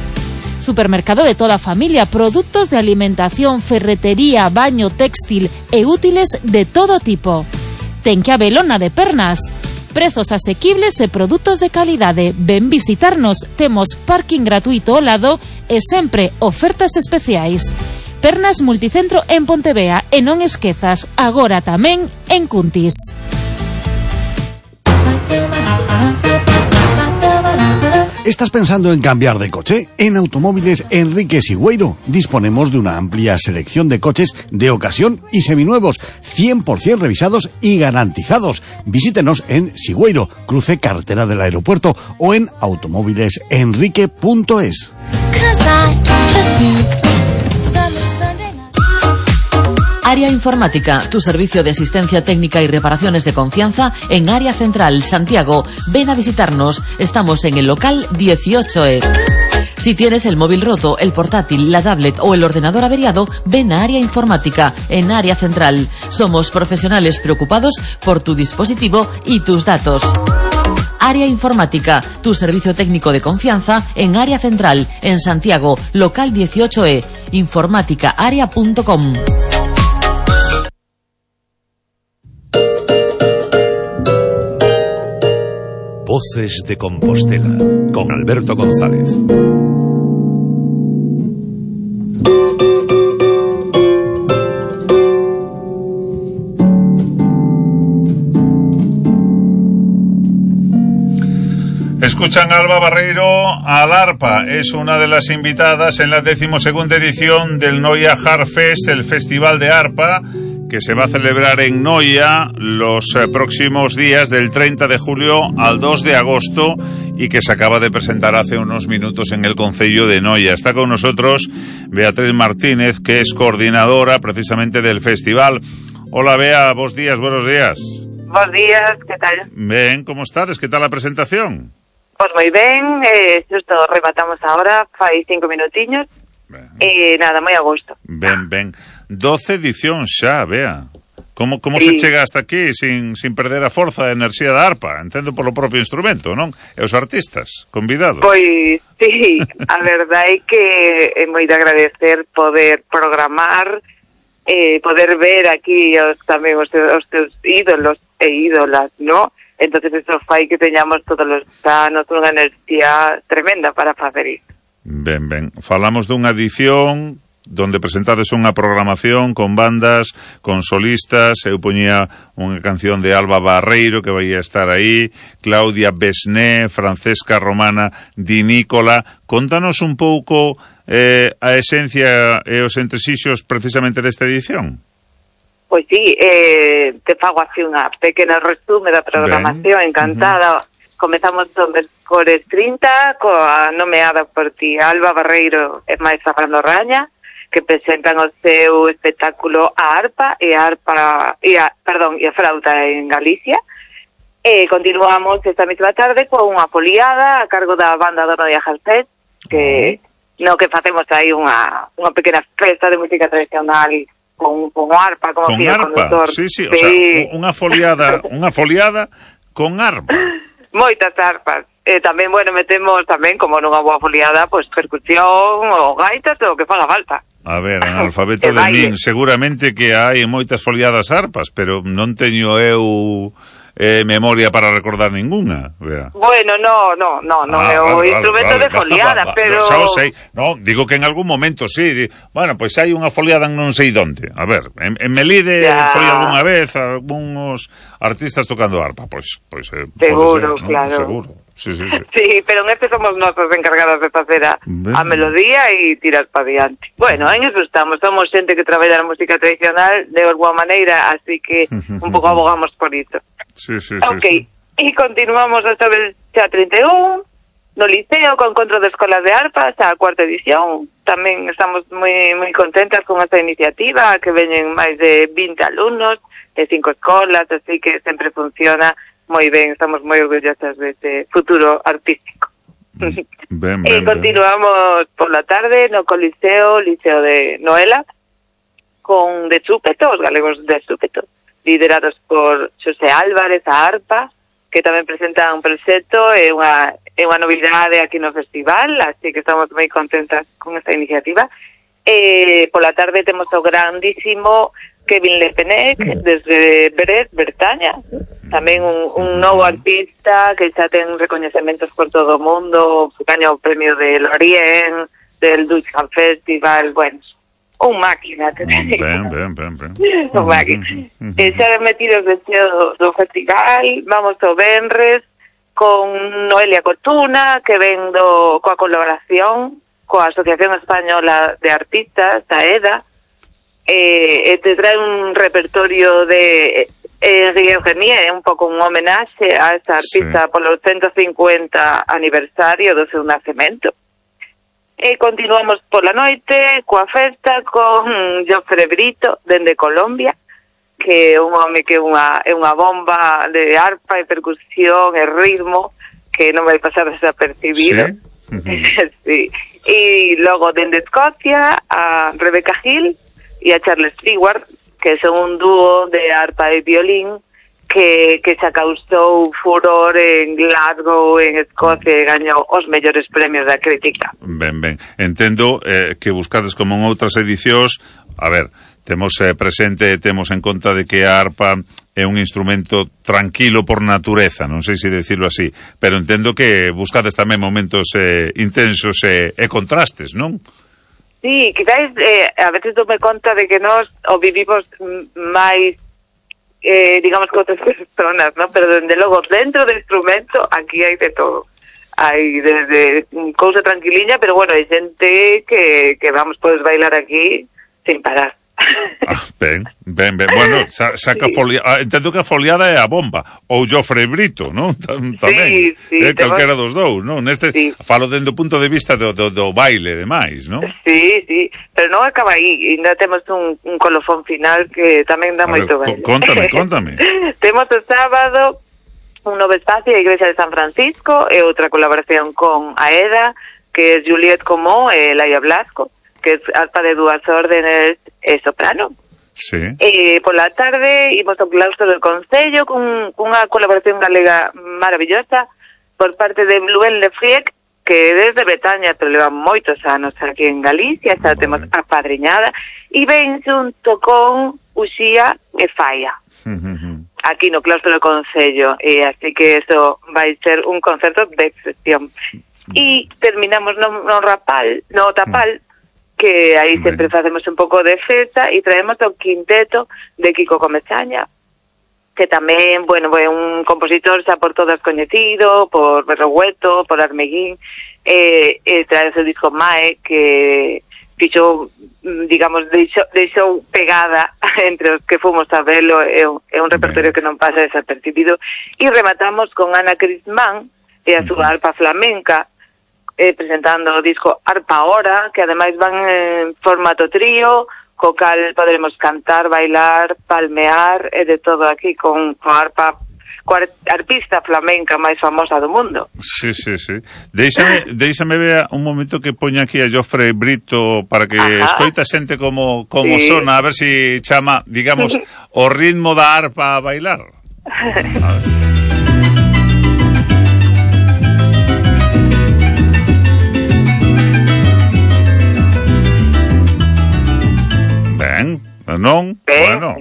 Supermercado de toda a familia, produtos de alimentación, ferretería, baño, textil e útiles de todo tipo. Ten que habelo na de Pernas. Prezos asequibles e produtos de calidade. Ven visitarnos, temos parking gratuito ao lado e sempre ofertas especiais. Pernas Multicentro en Pontevea e non esquezas, agora tamén en Cuntis. ¿Estás pensando en cambiar de coche? En Automóviles Enrique Sigüeiro disponemos de una amplia selección de coches de ocasión y seminuevos, 100% revisados y garantizados. Visítenos en Sigüeiro, cruce carretera del aeropuerto, o en automóvilesenrique.es. Área Informática, tu servicio de asistencia técnica y reparaciones de confianza en Área Central, Santiago. Ven a visitarnos, estamos en el local 18E. Si tienes el móvil roto, el portátil, la tablet o el ordenador averiado, ven a Área Informática en Área Central. Somos profesionales preocupados por tu dispositivo y tus datos. Área Informática, tu servicio técnico de confianza en Área Central, en Santiago, local 18E, informáticaarea.com. Voces de Compostela, con Alberto González. Escuchan a Alba Barreiro al arpa. Es una de las invitadas en la 12ª edición del Noia Harp Fest, el festival de arpa, que se va a celebrar en Noia los próximos días del 30 de julio al 2 de agosto y que se acaba de presentar hace unos minutos en el Concello de Noia. Está con nosotros Beatriz Martínez, que es coordinadora precisamente del festival. Hola Bea, buenos días. Buenos días, que tal? Ben, como estades? Que tal a presentación? Pois moi ben, xusto rematamos agora, fai 5 minutiños, e nada, moi a gusto. Ben. 12 edicións xa, Bea. Como sí. Se chega hasta aquí sin perder a forza e a enerxía da arpa? Entendo polo propio instrumento, non? E os artistas convidados. Pois, sí, a verdade é que é moi de agradecer poder programar, poder ver aquí tamén os teus ídolos e ídolas, non? Entonces eso fai que teñamos todos os anos unha enerxía tremenda para facer isto. Ben. Falamos dunha edición donde presentades unha programación con bandas, con solistas. Eu poñía unha canción de Alba Barreiro que vai a estar aí, Claudia Besné, Francesca Romana Di Nicola. Contanos un pouco a esencia e os entresixos precisamente desta edición. Pois sí, te fago así unha pequena resume da programación, encantada. Comezamos o mércores 30 coa nomeada por ti Alba Barreiro e máis Fernando Raña, que presentan o seu espectáculo A Arpa e a Frauta en Galicia. E continuamos esta mesma tarde con unha foliada a cargo da banda Dono de Ajalpet, que facemos aí unha pequena festa de música tradicional con arpa, como con arpa, sí, o sea, unha foliada con arpa. Moitas arpas. Tamén, metemos tamén, como nunha boa foliada, pois percusión ou gaitas, o que faga falta. A ver, analfabeto de min, seguramente que hai moitas foliadas arpas, pero non teño eu memoria para recordar ninguna. Vea. Bueno, no, é o instrumento de foliada, pero... Xa o sei, digo que en algún momento sí, bueno, pois hai unha foliada en non sei onde. A ver, en Melide foi algunha vez algúns artistas tocando arpa, pois seguro, claro. Seguro. Sí. Sí, pero en este somos nosotros encargados de facer a melodía e tirar para diante. Bueno, en eso somos xente que traballa na música tradicional de alguma maneira, así que un pouco abogamos por iso. Sí. Ok, e continuamos hasta el xa 31 no Liceo con encontro de escolas de arpas, a cuarta edición. Tamén estamos moi contentas con esta iniciativa, que veñen máis de 20 alumnos de 5 escolas, así que sempre funciona moi ben, estamos moi orgullosas deste futuro artístico. Ben. Continuamos por la tarde no Liceo de Noela, con de Súpeto, os galegos de Súpeto, liderados por Xosé Álvarez, a arpa, que tamén presentan un proxecto, é unha novidade aquí no festival, así que estamos moi contentas con esta iniciativa. Por la tarde temos o grandísimo Kevin Lepenec, desde Bretaña, tamén un novo artista que xa ten recoñecementos por todo o mundo, gaña o premio de Lorient, del Dutchman Festival, bueno, un máquina. Ben. Un máquina. Xa metidos dentro do festival, vamos ao Benres, con Noelia Cotuna, que ven coa colaboración coa Asociación Española de Artistas, a EDA, te trae un repertorio de Eugenie, un pouco un homenaxe a esta artista polo 150 aniversario do seu nacemento. Continuamos pola noite coa festa con Jofre Brito, dende Colombia, que é un home que é unha bomba de arpa e percusión e ritmo que non vai pasar desapercibido. Sí. E logo dende Escocia a Rebecca Hill e a Charles Stewart, que son un dúo de arpa e violín que xa causou furor en Glasgow, en Escocia, e gañou os mellores premios da crítica. Ben. Entendo que buscades como en outras edicións, a ver, temos presente, temos en conta de que a arpa é un instrumento tranquilo por natureza, non sei se decirlo así, pero entendo que buscades tamén momentos intensos e contrastes, non? Sí, quizás a veces dome conta de que nós o vivimos máis, digamos, que outras personas, ¿no? Pero dende logo, dentro do instrumento, aquí hai de todo. Hai desde cousa tranquiliña, pero bueno, hai xente que vamos, podes bailar aquí sin parar. Ben. Bueno, saca foliada. Entendo que a foliada é a bomba. Ou Jofre Brito, non? Tamén. Sí. Calquera dos dous, non? Falo dende o punto de vista do baile e demais, non? Sí. Pero non acaba aí. Ainda temos un colofón final que tamén dá moito baile. Contame. Temos o sábado un novo espacio a Igrexa de San Francisco e outra colaboración con AEDA, que é Juliette Comó e Laia Blasco, que é arpa de dúas órdenes e soprano. Sí. Pola tarde imos ao claustro del Concello con unha colaboración galega maravillosa por parte de Bluen Lefriec, que desde Bretaña, pero leva moitos anos aquí en Galicia, xa temos apadriñada, e ven xunto con Uxía e Falla, aquí no claustro del Concello, e así que eso vai ser un concerto de excepción. E terminamos no Tapal, que aí sempre facemos un pouco de festa e traemos o quinteto de Kiko Comesaña, que tamén, bueno, é un compositor xa por todas coñecido, por Berrogueto, por Armeguín, trae o seu disco Mae, que fixo, digamos, deixou pegada entre os que fomos a velo, é un repertorio que non pasa desapercibido, e rematamos con Ana Crismán e a súa arpa flamenca, presentando o disco Arpa Hora, que ademais van en formato trío, co cal poderemos cantar, bailar, palmear, e de todo aquí con arpa, coa arpista flamenca máis famosa do mundo. Sí. Déixame ver un momento que poña aquí a Jofre Brito para que escoita xente como sona, a ver si chama, digamos, o ritmo da arpa a bailar. A ver. Non? Bueno,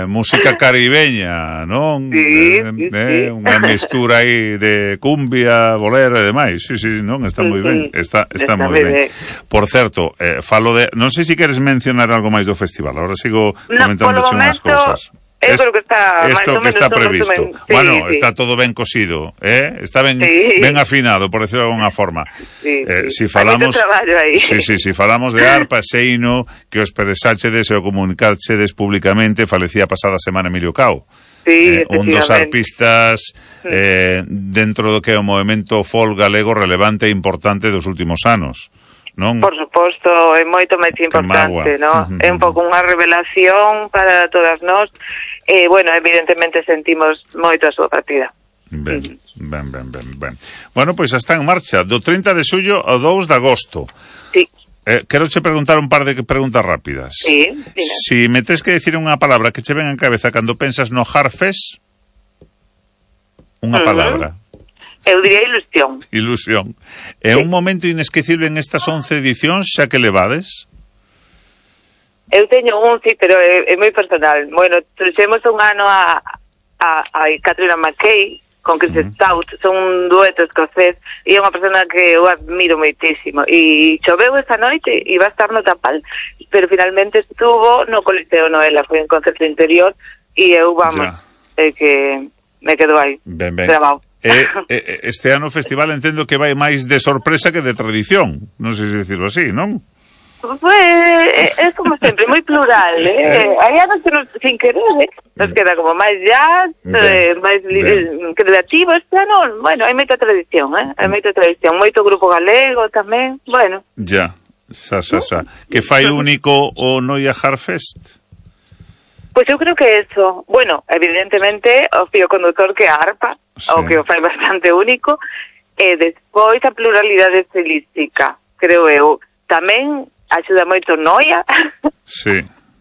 música caribeña, non? Sí. Unha mistura aí de cumbia, bolero e demais. Sí, non? Está moi ben. Está moi ben. Por certo, falo de... Non sei se queres mencionar algo máis do festival. Ahora sigo comentándoche unhas cousas. Eu creo que está esto que está previsto. Bueno, está todo ben cosido, está ben afinado, por decirlo de alguna forma. Si falamos si falamos de arpa, seino que os expresáchedes e o comunicachedes públicamente, falecía pasada semana Emilio Cao. Un dos arpistas dentro do que é o movemento folk galego relevante e importante dos últimos anos. Non? Por suposto, é moito máis importante, non? É un pouco unha revelación para todas nós, e, bueno, evidentemente sentimos moito a súa partida. Ben. Bueno, pois está en marcha, do 30 de xullo ao 2 de agosto. Sí. Quero che preguntar un par de preguntas rápidas. Sí, si me tes que decir unha palabra que che ven en cabeza cando pensas no Harfest, unha palabra. Eu diría ilusión. É un momento inesquecible en estas 11 edicións, xa que levades? Eu teño un, sí, pero é moi personal. Bueno, trouxemos un ano a Catriona McKay con Chris Stout, son un dueto escocés, e é unha persona que eu admiro moitísimo. E choveu esa noite, iba a estar no Tapal, pero finalmente estuvo no Coliseo Noela, foi un concerto interior, e eu, que me quedo aí, grabado. Este ano o festival entendo que vai máis de sorpresa que de tradición, non sei se decirlo así, non? Pues é como sempre, moi plural, hai anos que sin querer, nos queda como máis jazz, máis creativo. Este ano, bueno, hai moita tradición, moito grupo galego tamén, bueno. Ya, que fai único o Noia Harfest? Pois eu creo que eso, bueno, evidentemente o fío conductor que a arpa, o que o fai bastante único, e despois a pluralidade estilística, creo eu. Tamén axuda moito Noia,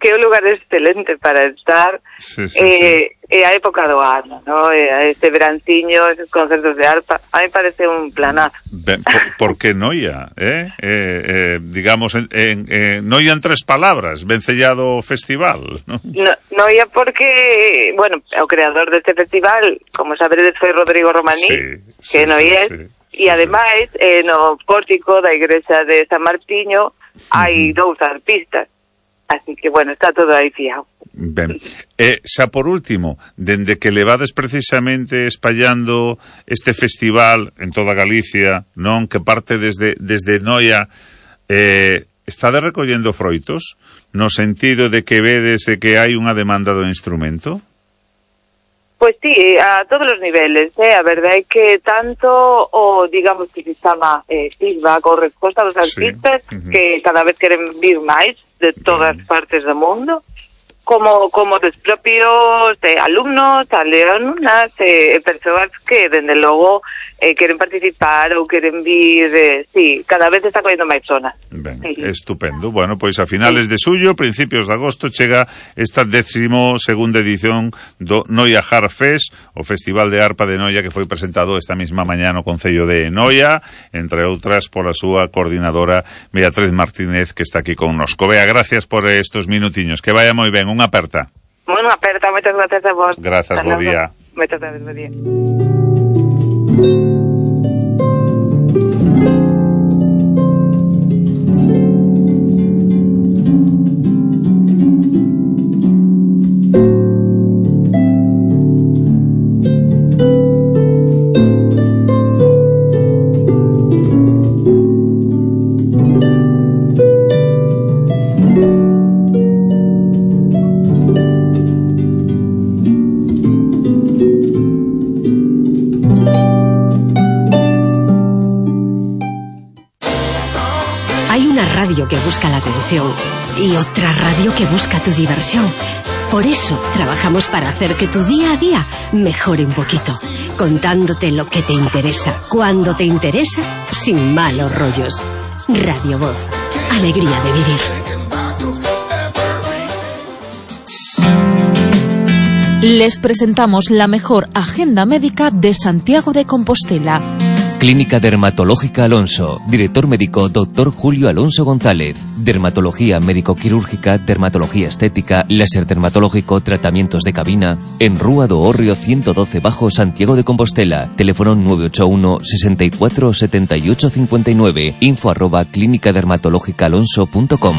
que é un lugar excelente para estar, e a época do ano, ¿no? Este veranciño, esos concertos de arpa, a mí parece un planazo. ¿Por qué Noia? Digamos, Noia en 3 palabras, vencellado festival, ¿no? Noia porque, bueno, o creador deste festival, como sabedes, foi Rodrigo Romaní, que é noiés, e ademais, no pórtico da igrexa de San Martiño, hai 2 arpistas. Así que, bueno, está todo aí fiado. Ben. Xa por último, dende que levades precisamente espallando este festival en toda Galicia, non, que parte desde Noia, estade recollendo froitos no sentido de que vedes que hai unha demanda do instrumento? Pois sí, a todos os niveles, a verdade é que tanto o, digamos, que se chama feedback ou resposta dos artistas, que cada vez queren vir máis de todas partes do mundo, como dos propios alumnos, alumnas, persoas que, dende logo, queren participar ou queren vir, cada vez está collendo máis zona. Ben, estupendo. Bueno, pois a finales de xullo, principios de agosto, chega esta 12ª edición do Noia Harfest, o Festival de Arpa de Noia que foi presentado esta mesma mañá no Concello de Noia, entre outras pola súa coordinadora Beatriz Martínez, que está aquí connosco. Bea, gracias por estos minutiños. Que vaya moi ben. Unha aperta. Unha aperta, moitas gracias a vos. Grazas, bo día. Moitas gracias, bo día. diversión. Y otra radio que busca tu diversión. Por eso trabajamos para hacer que tu día a día mejore un poquito, contándote lo que te interesa, cuando te interesa, sin malos rollos. Radio Voz, alegría de vivir. Les presentamos la mejor agenda médica de Santiago de Compostela. Clínica Dermatológica Alonso. Director médico Dr. Julio Alonso González. Dermatología médico-quirúrgica, dermatología estética, láser dermatológico, tratamientos de cabina. En Rúa do Hórreo 112 Bajo, Santiago de Compostela. Teléfono 981 64 78 59. info@clínicadermatológicaalonso.com.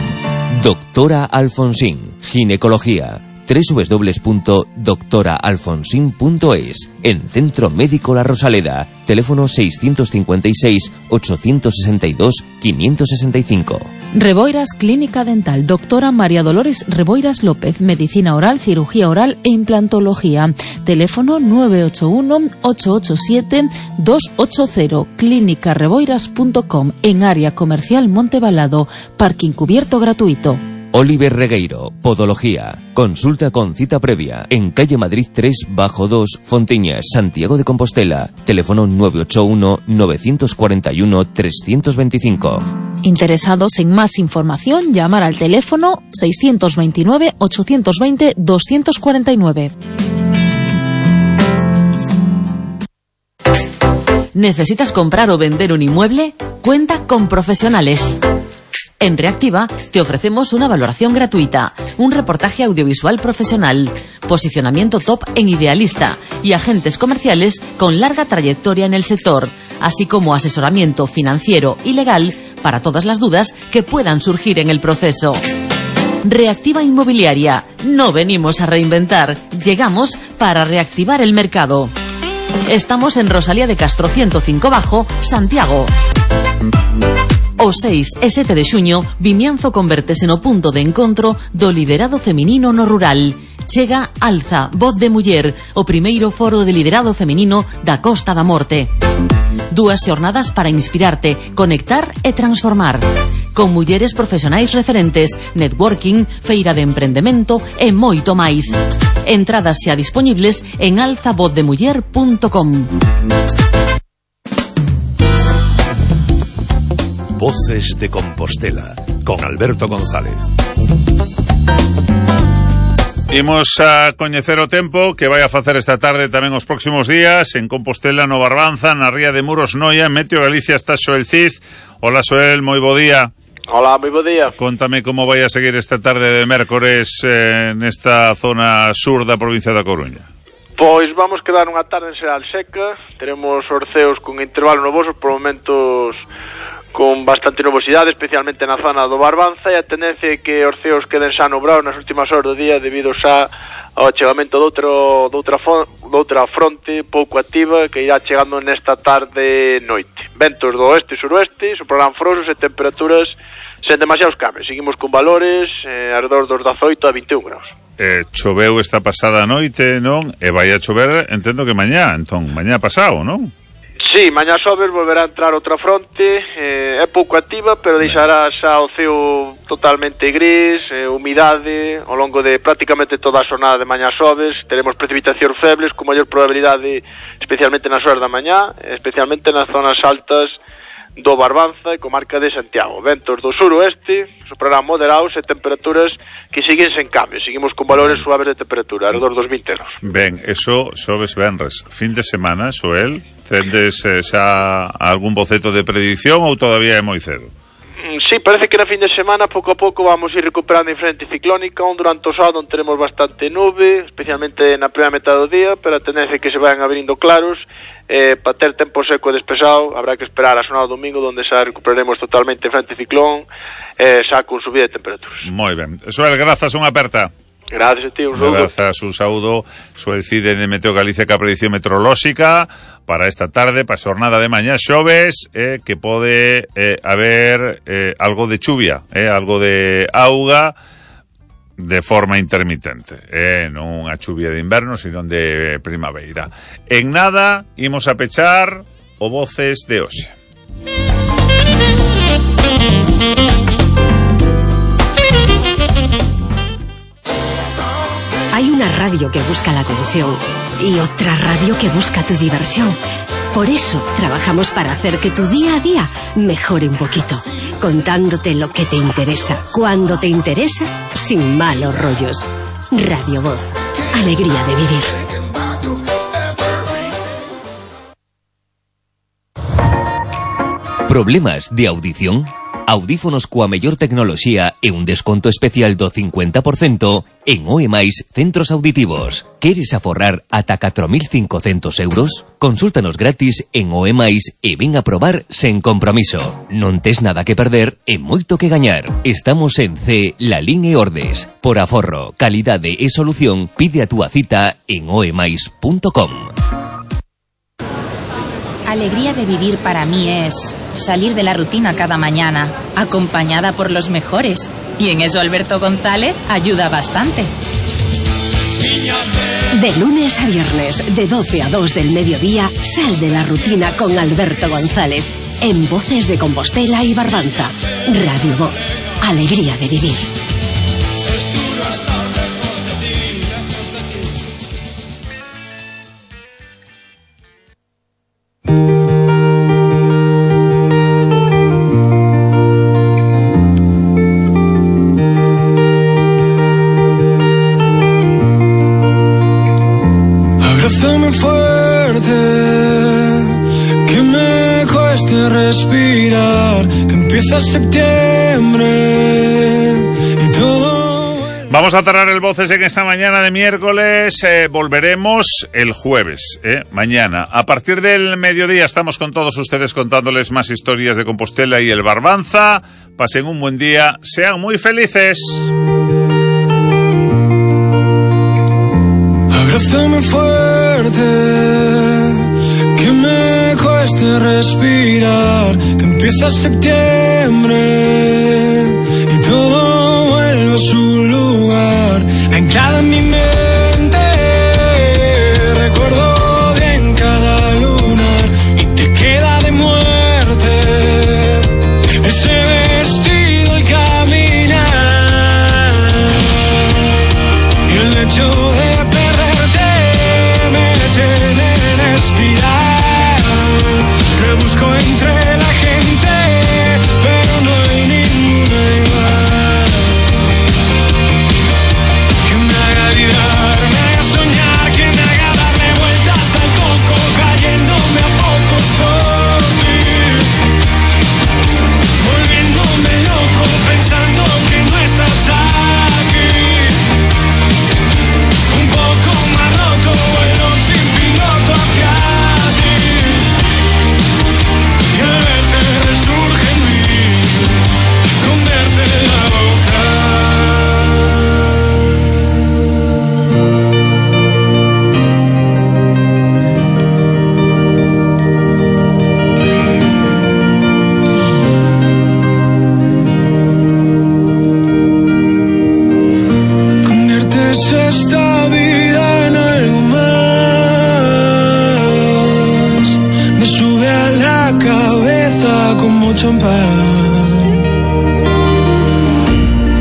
Doctora Alfonsín. Ginecología. www.doctoraalfonsin.es. En Centro Médico La Rosaleda. Teléfono 656 862 565. Reboiras Clínica Dental. Doctora María Dolores Reboiras López. Medicina oral, cirugía oral e implantología. Teléfono 981 887 280. clínicareboiras.com. En área comercial Montebalado. Parking cubierto gratuito. Oliver Regueiro, Podología. Consulta con cita previa en calle Madrid 3 Bajo 2, Fontiñas, Santiago de Compostela. Teléfono 981 941 325. Interesados en más información, llamar al teléfono 629 820 249. ¿Necesitas comprar o vender un inmueble? Cuenta con profesionales. En Reactiva te ofrecemos una valoración gratuita, un reportaje audiovisual profesional, posicionamiento top en Idealista y agentes comerciales con larga trayectoria en el sector, así como asesoramiento financiero y legal para todas las dudas que puedan surgir en el proceso. Reactiva Inmobiliaria. No venimos a reinventar, llegamos para reactivar el mercado. Estamos en Rosalía de Castro 105 Bajo, Santiago. O 6 e 7 de xuño, Vimianzo convértese no punto de encontro do liderado feminino no rural. Chega Alza, Voz de Muller, o primeiro foro de liderado feminino da Costa da Morte. 2 xornadas para inspirarte, conectar e transformar. Con mulleres profesionais referentes, networking, feira de emprendemento e moito máis. Entradas xa disponibles en alzavozdemuller.com. Voces de Compostela, con Alberto González. Imos a coñecer o tempo que vai a facer esta tarde tamén os próximos días en Compostela, no Barbanza, na ría de Muros, Noia, Meteo Galicia. Está Xoel Cid. Hola Xoel, moi bo día. Hola, moi bo día. Contame como vai a seguir esta tarde de mércores nesta zona sur da provincia da Coruña. Pois vamos quedar unha tarde en xeral seca. Teremos orceos con intervalos novosos, por momentos con bastante nubosidade, especialmente na zona do Barbanza, e a tendencia é que os ceos queden xa nubrados nas últimas horas do día debido xa ao achegamento doutra fronte pouco activa que irá chegando nesta tarde noite. Ventos do oeste e suroeste, soprarán frosos e temperaturas sen demasiados cambios. Seguimos con valores alrededor dos 18 a 21 graus. Choveu esta pasada noite, non? E vai a chover, entendo que mañá, entón, mañá pasado, non? Sí, mañá xoves volverá a entrar outra fronte, é pouco activa, pero deixará xa o ceo totalmente gris, humidade, ao longo de prácticamente toda a xornada de mañá xoves. Teremos precipitacións febles con maior probabilidade, especialmente nas horas da mañá, especialmente nas zonas altas do Barbanza e comarca de Santiago. Ventos do suroeste, soprarán moderados e temperaturas que siguen sen cambio. Seguimos con valores suaves de temperatura, alrededor dos 20 graus. Ben, eso xoves venres. Fin de semana, Xoel, tendes xa algún boceto de predicción ou todavía é moi cedo? Sí, parece que na fin de semana pouco a pouco vamos ir recuperando a frente ciclónica, durante o sábado onde teremos bastante nube, especialmente na primeira metade do día, pero a tendencia é que se vayan abrindo claros. Para ter tempo seco e despexado habrá que esperar a xornada do domingo, onde xa recuperaremos totalmente a frente ciclón, xa con subida de temperaturas. Moi ben. Xoel, grazas, unha aperta. Gracias a ti, un saúdo. Grazas, un saúdo. Xoel Cid de Meteo Galicia, que a predicción meteorolóxica para esta tarde, para a xornada de mañá xoves, que pode haber algo de chuvia, algo de auga de forma intermitente, non unha chuvia de inverno, sino de primavera. En nada, imos a pechar o Voces de hoxe. radio que busca la atención y otra radio que busca tu diversión. Por eso trabajamos para hacer que tu día a día mejore un poquito, contándote lo que te interesa, cuando te interesa, sin malos rollos. Radio Voz, alegría de vivir. Problemas de audición? Audífonos coa mellor tecnoloxía e un desconto especial do 50% en OEMAIS Centros Auditivos. Queres aforrar ata 4.500 euros? Consúltanos gratis en OEMAIS e ven a probar sen compromiso. Non tes nada que perder e moito que gañar. Estamos en C, Lalín e Ordes. Por aforro, calidade e solución, pide a túa cita en oemais.com. Alegría de vivir para mí es salir de la rutina cada mañana, acompañada por los mejores. Y en eso Alberto González ayuda bastante. De lunes a viernes, de 12 a 2 del mediodía, sal de la rutina con Alberto González. En Voces de Compostela y Barbanza. Radio Voz, alegría de vivir. Abrázame fuerte, que me cueste respirar, que empieza septiembre y todo. Vamos a cerrar el Voces en esta mañana de miércoles. Volveremos el jueves, mañana. A partir del mediodía estamos con todos ustedes contándoles más historias de Compostela y el Barbanza. Pasen un buen día, sean muy felices. Abrázame fuerte, que me cueste respirar, que empieza septiembre y todo vuelve a su lugar, anclada en mi mente. Recuerdo bien cada lunar y te queda de muerte ese vestido al caminar y el hecho de respirar, rebusco entre la gente, pero no hay ninguna igual, que me haga vibrar, me haga soñar, que me haga darle vueltas al coco, cayéndome a pocos por ti, volviéndome loco, pensando que no estás aquí, un poco más roto, vuelo sin piloto hacia ti, y al verte resurge en mí, con verte en la boca. Conviertes esta vida en algo más, me sube a la cabeza como champán.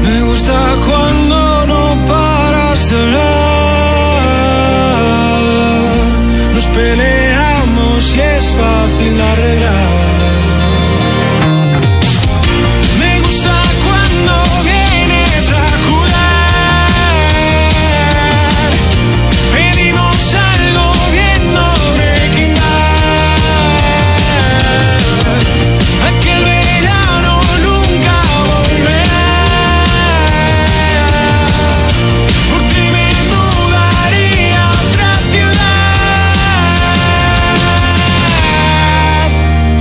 Me gusta cuando no paras de hablar, nos peleamos y es fácil de arreglar. Me gusta cuando vienes a jurar, pedimos algo viendo Breaking Bad, aquel verano nunca volverá, por ti me mudaría a otra ciudad,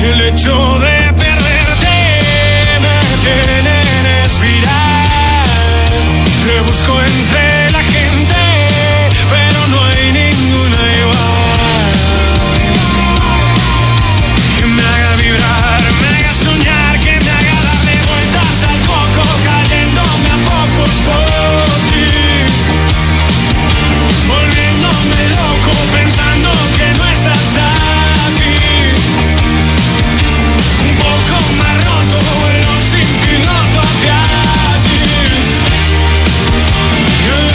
y el hecho de perderte me tiene en espiral, rebusco entre la gente, pero no hay ninguna igual, que me haga vibrar, me haga soñar, que me haga darle vueltas al coco, cayéndome a pocos por ti, volviéndome loco, pensando que no estás aquí, un poco más roto, vuelo sin piloto hacia ti, y el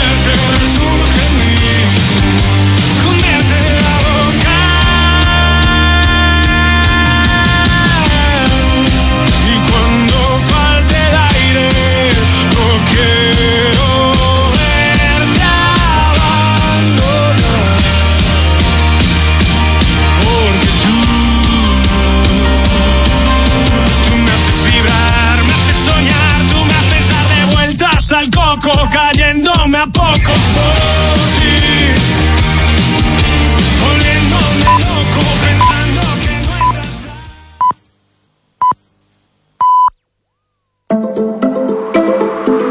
al coco, cayéndome a pocos por ti.